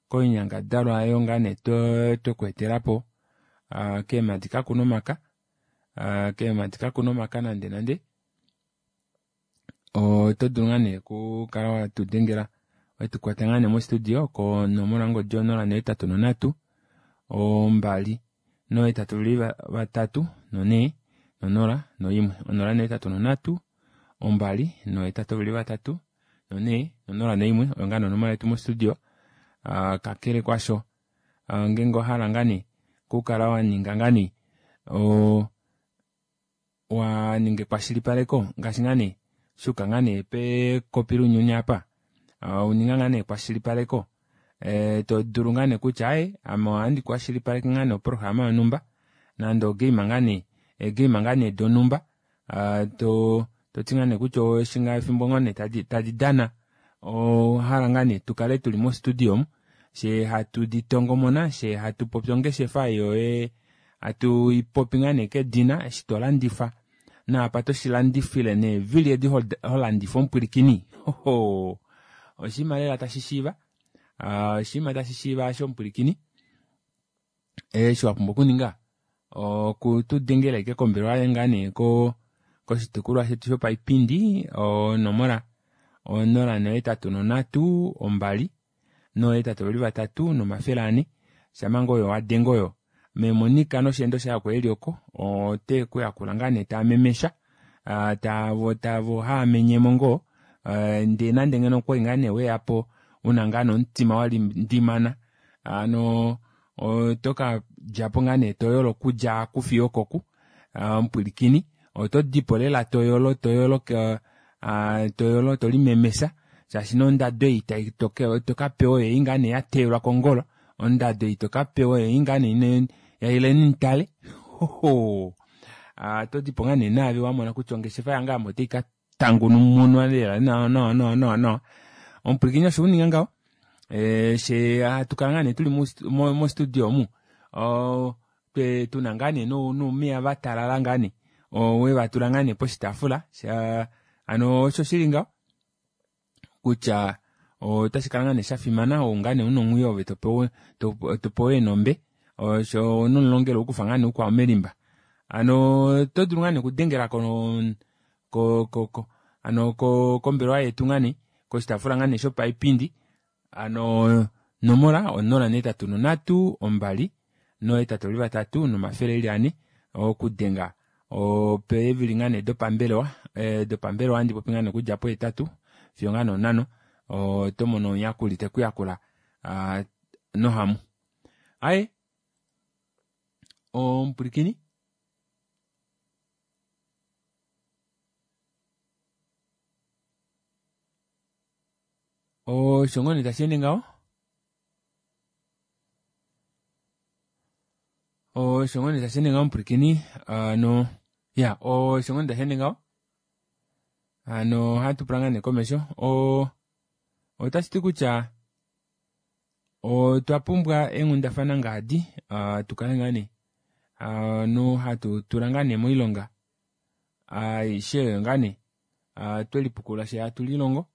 koinyangadalwa ayo ngane to, tokwetelapo, uh, keemadi kakuna omaka, uh, keemadi kakuna omaka nande nande. Oto dulu ngane kukala watudengela, wetukwata ngane mostudio konomola ngodi onola nohetatu nonhatu, ombali nohetatu li vatatu nonhee nonola noimwe. Onola nohetatu nonhatu, ombali nohetatu li vatatu nonhee nonola noimwe. Oyo ngaa nonomola yetu mostudio. Uh, kakele kwasho, uh, ngenge ohala ngane kukala waninga ngane, o, waninga ekwashilipaleko ngaashi ngane shuka ngane pekopi lunyuni apa, uh, uninga ngane ekwashilipaleko, eh, to dulu ngane kutya aye ame ohandi kwashilipaleke ngane oprograma yonhumba nande ogame ngane, egame ngane donhumba, uh, to, toti ngane kutya oshinga efimbo ngane tadi, tadi dana, ohala ngane tukale tuli mostudio omu, she hatu ditongomona, she hatu popi ongeshefa yoye, hatu ipopi ngane kedina, eshi to landifa, naapa toshilandifile neevili edi ho landifa omupwilikini. Hoho. Oshinima lela tashi shiiva. Uh, oshinima tashi shiiva asho omupwilikini. Eshi wa pumbwa okuninga, okutudengela ike kombelewa ngane ko, koshitukulwa shetu shopaipindi, onomola onola nohetatu nonhatu, ombali, nohetatu veli vatatu, nomafele ane. Shamanga oyo wadenga oyo. Memonika nosheendo shaye oko eli oko, ote kuyakula ngane tamemesha, uh, tavo, tavo haamenyemo ngoo, Ndee nande ngeno okwali ngaa nee weyapo una ngaa nee omutima walindimana hano oto kadjapo ngaa nee toyolo okudja oku fiyo okoku omupwilikini oto dipo lela toyolo toyolo toyolo tolimemesha shaashi nee ondado ei tokapewa oyoyi ngoo nee yateyelwa kongolo ondado ei tokapewa oyoyi ngoo nee yaileni mutale hohoo otodipo ngoo nee naave wamona kutya ongeshefa yange ame otaika tangumunwa lela nawa nawa nawa nawa. Omupwilikini osho uninga ngaho fyee hatukala ngoo nee tuli mo studio omu oo tuna ngoo nee noumeya vatalala ngoo nee wevatula ngoo nee poshitaafula hano osho shili ngaho kutya otashikala ngoo nee shafimana ou ngoo nee una omwiyo ove topewa eenombe shoo nomulongelo ohakufa ngoo nee ukwao melimba hano oto dulu ngoo nee okudengela ko ko hano kombelewa yetu ngoo nee koshitaafula ngoo nee shopaipindi hano onomola onola nohetatu nonhatu ombali nohetatu eli vatatu nomafele eli anhe okudenga opeevili ngoo nee dopambelewa dopambelewa ohandi popi ngoo nee okudja pohetatu fiyo ngoo nee onhano otomono omuyakuli tekuyakula nohamu. Aaye omupwilikini osho ngoo nee tasheende ngaho osho ngoo nee tasheende ngaho omupwilikini hano iyaa osho ngoo nee tasheende ngaho hano ohatupula ngoo nee komesho oo otashiti kutya otwapumbwa eenghundafana ngaadi tukale ngoo nee ovanhu hatutula ngoo nee moilonga aishe oyo ngoo nee twelipukulula fyee hatu lilongo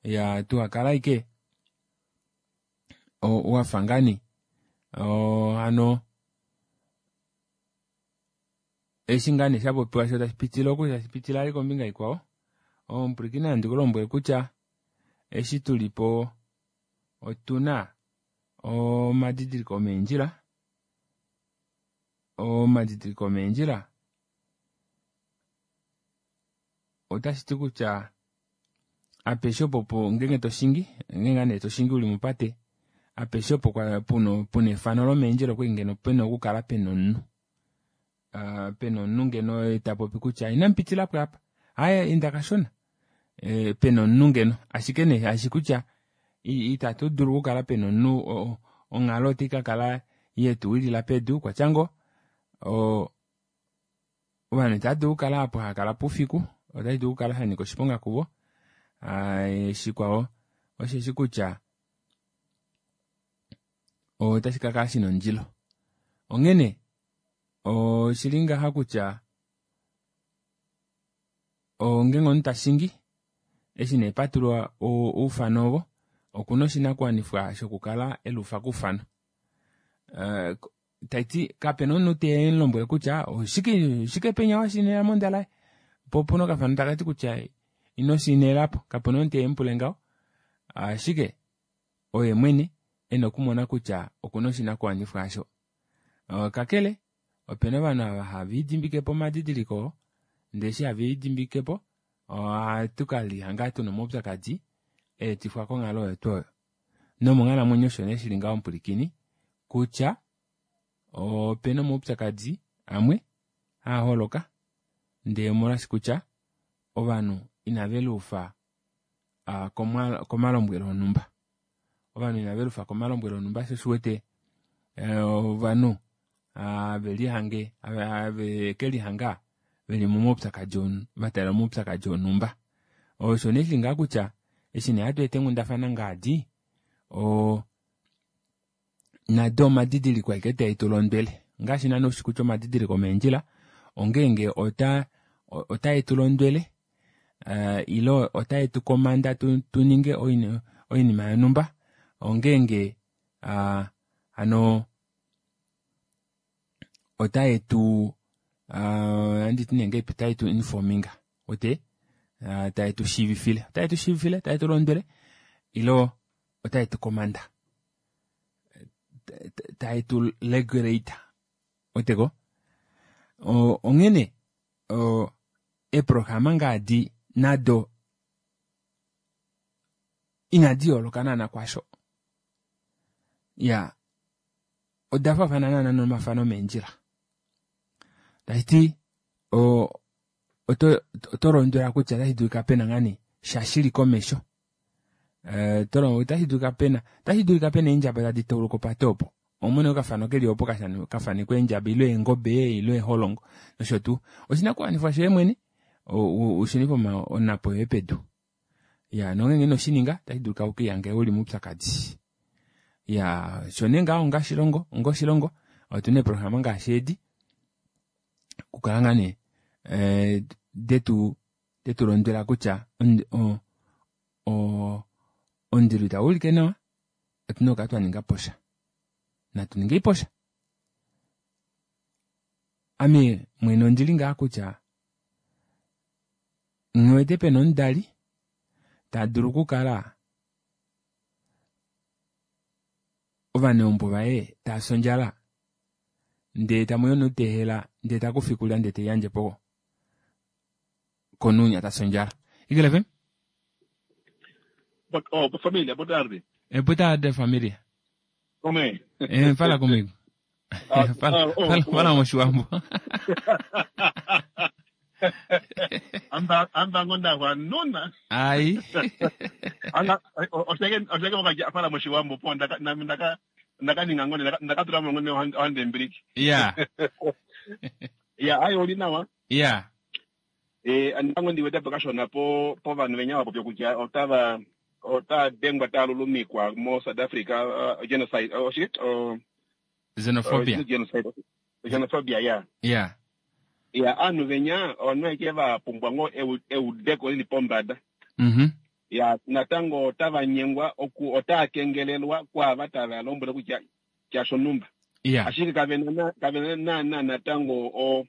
iyaa tuhakale ashike wafa ngoo nee hano eshi ngoo nee shapopiwa shoo tashi pitile oku tashi pitile vali kombinga ikwao omupwilikini ovandu kulombwele kutya eshi tulipo otuna omadidiliko omeendjila omadidiliko omeendjila otashiti kutya apeshe opo ngenge toshingi ngenge ngoo nee toshingi uli mopate apeshe opo puna efano lomeendjila okwali ngeno pena okukala pena omunhu pena omunhu ngeno tapopi kutya inamupitilapo aapa aaye enda kashona pena omunhu ngeno ashike nee shaashi kutya ita tudulu okukala pena omunhu onghalo otaikakala yetuwilila pedu okwatya ngoo ovanhu itava dulu okukala aapo haakalapo oufiku otashidulu okukala shanyika oshiponga kuvo shikwao osheshi kutya otashikakala shina ondilo onghene oshili ngaha kutya ngeenge omunhu tashingi eshi nee patulwa oufano ovo okuna oshinakuwanifwa shokukala eluufa koufano taiti kapena omunhu temulombwele kutya oshike oshike penya washainela mondalaye poo opena okafano takati kutya ino shainelapo kapena omunhu temupule ngaho ashike oye mwene ena okumona kutya okuna oshinakuwanifwa aasho kakele opena ovanhu ava haviidimbikepo omadidiliko oo ndee eshi haviidimbikepo ohatu kelihanga tuna omaupyakadi aetifwa konghalo oyo twoo oyo nomonghalamwenyo osho nee shili ngaho omupwilikini kutya opena omaupyakadi amwe haaholoka ndee omolwaashi kutya ovanhu inave luufa komalombwelo onumba ovanhu inaveluufa komalombwelo onumba shoo osho uwete ovanhu havelihange have kelihanga veli momaupyakadi vataalela omaupyakadi onumba osho nee shili ngaha kutya eshi nee hatweeta eenghundafana ngaadi oo nado omadidiliko ashike taetulondwele ongaashi naana ushi kutya omadidiliko omeendjila ongenge ota otaetulondwele ile otaetukomanda tuninge oinima yonumba ongenge hano otaetu ohanditi nee ngahelipi otaetu informinga uwete taetushiivifile otaetushiivifile taetulondwele ile otaetukomanda taetu regulate ouweteko onghene eeprograma ngaadi nado Inadi yooloka naana kwasho. Ya oda faafana naana nomafano omeendjila. Tashi ti oto oto londwela kutya otashi dulika pena ngaa nee sha shili komesho. Otashi dulika pena otashi dulika pena eendjaba tadi tauluka opate opo. Omone okafano keli opo kafanekwa eendjaba ile eengobe ile eeholongo nosho tuu. Oshinakuwanifwa shoye mwene ushunife onapo yoye pedu. Ya nongenge inoshininga otashi dulika ukiihange uli moupyakadi. Ya sho nee ngaho onga oshilongo onga oshilongo otuna eeprograma ngaashi edi okukala ngaa nee detu detu londwela kutya omundilo itau ulike nawa otuna okukala twa ninga posha. Natu ningei posha. Ame mwene ondili ngaa kutya nghiwete pena omudali tadulu okukala ovaneumbo vaye taasi ondjala ndee tamuya omunhu tehela ndee takufa oikulya ndee teiyandjepo komunhu tasi ondjala. Eagle F M? Oh, família, boa tarde. É, boa tarde, família. Como é? É, fala comigo. Ah, fala, ah, oh, fala, oh. fala moshiwambo. Anda anda ngonda wa nona. Ai. Anga oseke oseke wakaja fala moshiwambo po ndaka ndaka ndaka ninga ngone ndaka tula ngone hande mbriki. Yeah. Yeah, ayo oli nawa. Yeah. Eh andango ndiwete pakashona po po vanhu venya vapo kutya otava ota dengwa talulumikwa mo South Africa uh, genocide oh shit oh xenophobia. Uh, genocide. Xenophobia, yeah. Yeah. Yeah, anhu venya onweke va pumbwa ngo eudeko lili pombada. Mhm. Ya natango otava nyengwa oku otakengelelwa kwa vatava lombwela kutya kya shonumba. Yeah. Ashike kavena kavena na na natango o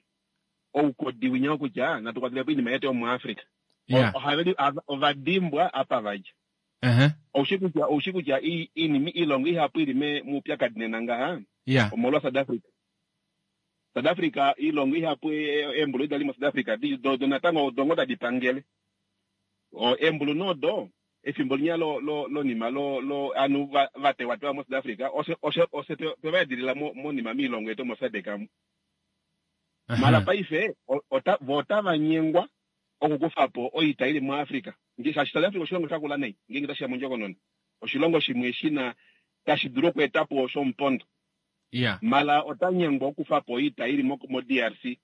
oukodi winya kutya natukwatile inima yetu yomu Africa. Yeah. Ohaveli ovadimbwa apa vaja. Uh-huh. Oushi kutya oushi kutya inimi ilongo ihapu ili me mupyakadi nena ngaha. Yeah. Omolwa South Africa. South Africa ilongo ihapu embulu idali mo South Africa di do, do natango dongo tadipangele. O embulu nodo efimbo linya lo lo lo nima lo lo anu vatewa mo South Africa ose ose ose te vaedilila mo mo nima milongo yetu mo S A D C mu. Uh-huh. Mala paife ota vota vanyengwa okukufapo oita ili mu Africa. Ngi South Africa oshilongo shakula nei ngingi tashiya mondjokonona. Oshilongo shimwe shina tashi dulu okuetapo shompondo. Yeah. Mala otanyengwa okufapo oita ili mo, mo D R C.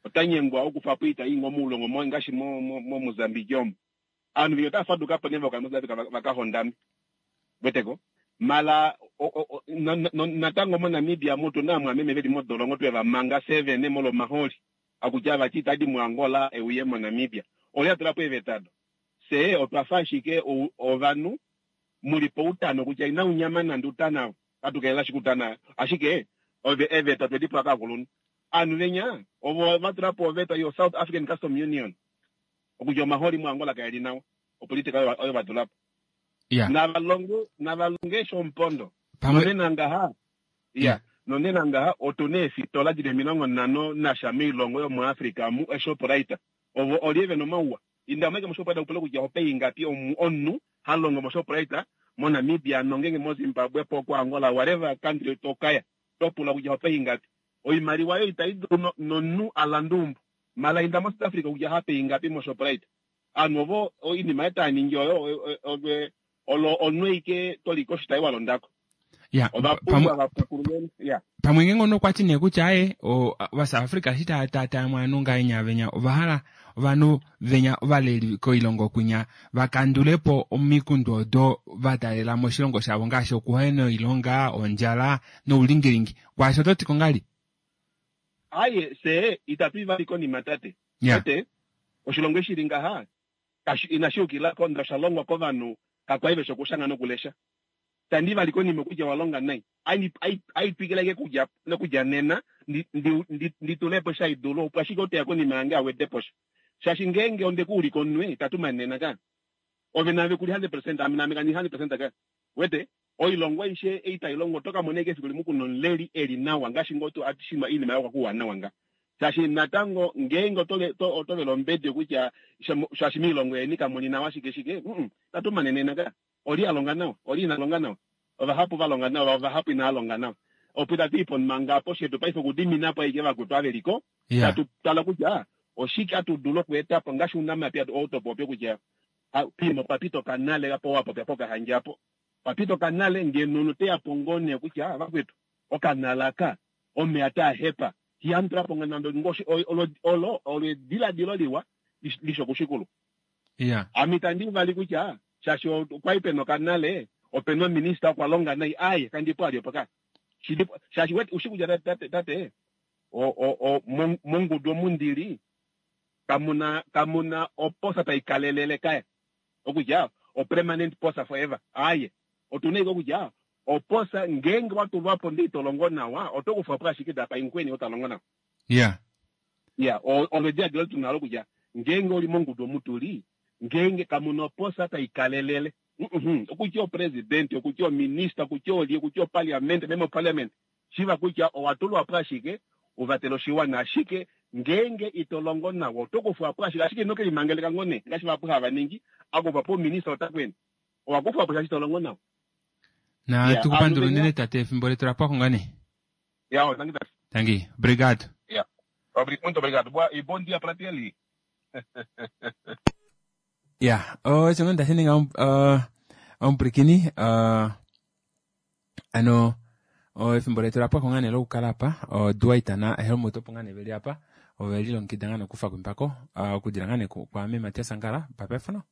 Otanyengwa okufapo oita ili mo mulongo mo ngashi mo mo, mo Mozambique omo. Anu vinyo tafaduka po neva ka South Africa vakahondami. Weteko. Mala o, o, o, no, no, natango mo Namibia mutu na mwameme veli modolongo tweva manga seven molo maholi. Akutya vachita di mu Angola euye mo Namibia. Olya tulapo evetado. Se otwafa ashike ovanhu mulipo utano kutya ina unyama nande utana atukelela shikutana ashike ove eveta twedipo akakulunu. Anu venya ovo vatulapo oveta yo South African Custom Union. Okutya omaholi mu Angola kaeli nawa. Opolitika oyo vatulapo. Yeah. Navalonge navalonge shompondo. Pamwe nonena ngaha. Yeah. Nonena ngaha otune efitola dili emilongo nhano nasha miilongo yomuAfrica mu eShoprite. Ovo olieve nomauwa. Inda meke moShoprite upule kutya ope ingapi omunhu halongo moShoprite mo Namibia nongenge mo Zimbabwe po ku Angola whatever country tokaya topula kutya ope ingapi. Oimaliwa yo itai dulu nonhu alandumbu. Mala inda mo South Africa kutya hape ingapi moShoprite. Anu ovo oinima etaningi oyo ove olo onweike toliko shitai walondako. Yeah, Ovapumbwa vapukulumeni. Yeah. Pamwe ngenge ono kwati nee kutya aye va South Africa shi ta ta ta mwana ngainya venya ovahala ovanhu venya ovaleli koilongo kunya vakandulepo omikundu odo vatalela moshilongo shavo ngaashi okuhena oilonga ondjala noulingilingi kwaasho ototi kongali. Aye se itatu ivali konima tate. Yeah. Tate oshilongo shili ngaha inashiukila ko shalongwa kovanhu kakwaive shokushanga nokulesha. Tandi vali konima kutya walonga nai. Ai ai twikileke kudya nokudya nena nditulepo shaidulu opo ashike oteya konima yange awedepo sha. Shashi ngenge onde kuulika omunwe itatu manena ka. Ove nave kuli one hundred percent ame name kandi one hundred percent ka. Wete oilongo aishe eitai longo toka moneke efiku limwe kuno nomuleli eli nawa ngaashi ngoo tu atishima iinima yako kuwa nawa nga. Shaashi natango ngeenge oto vele ombedi kutya shaashi miilongo yeni kamuli nawa shike shike, tatu manenena ka. Oli a longa nawa, oli ina longa nawa. Ovahapu va longa nawa, ovahapu inaa longa nawa. Opo itatu i ponima ngapo shetu paife okudiminapo aike vakwetu ava veliko. Tatu tala kutya oshike hatu dulu okueta po ngaashi ounamapya ou to popi kutya pimo pa pita okanale apo wa popya pokahandja apo. Pa pita okanale ngeno omunhu teya po ngoo nee kutya vakwetu okanala aka omeya taa hepa. Ihamu tula po nande olo olo ediladilo liwa lishi okushikulu. Ame itandi vali kutya shaashi okwali pena okanale opena ominista okwa longa nai aaye kandi po ali opo ka. Shaashi ushi kutya tate mongudu omu ndili kamuna kamuna oposa taikalelele kaya. Okutya o permanent posa forever. Aaye otuna ike okutya oposa ngeenge watulwapo ndee ito longo nawa oto kufwapo ashike tapa inkweni otalongo nawa. Yeah. Yeah, olo ediladilo tunalo kutya ngeenge oli mongudu omu tuli ngeenge kamuna oposa taikalelele. Okutya opresident, okutya ominista, okutya olye, okutya oparliament, member of parliament. Shiva kutya owatulwapo ashike uvatele oshiwana ashike ngeenge ito longo nawa oto kufwapo ashike ashike ino kelimangeleka ngoo nee ngaashi vahapu hava ningi akufwapo ominista otakweni owakufwapo shaashi ito longo nawa. Na tukupandula unene tate efimbo letu lapwako ngaa nee. Ya, tangi tate. Tangi, obrigado. Ya. Muito obrigado. Boa, e bom dia para ti ali. Ya, osho ngoo ndashininga omupwilikini ano efimbo letu lapwako ngaa nee lokukala apa Dwight na Helmut opo ngaa nee veli apa ove lilongekida ngaa nee okufa kwimpako okudila ngaa nee kwaame Matias Angala bye bye for now.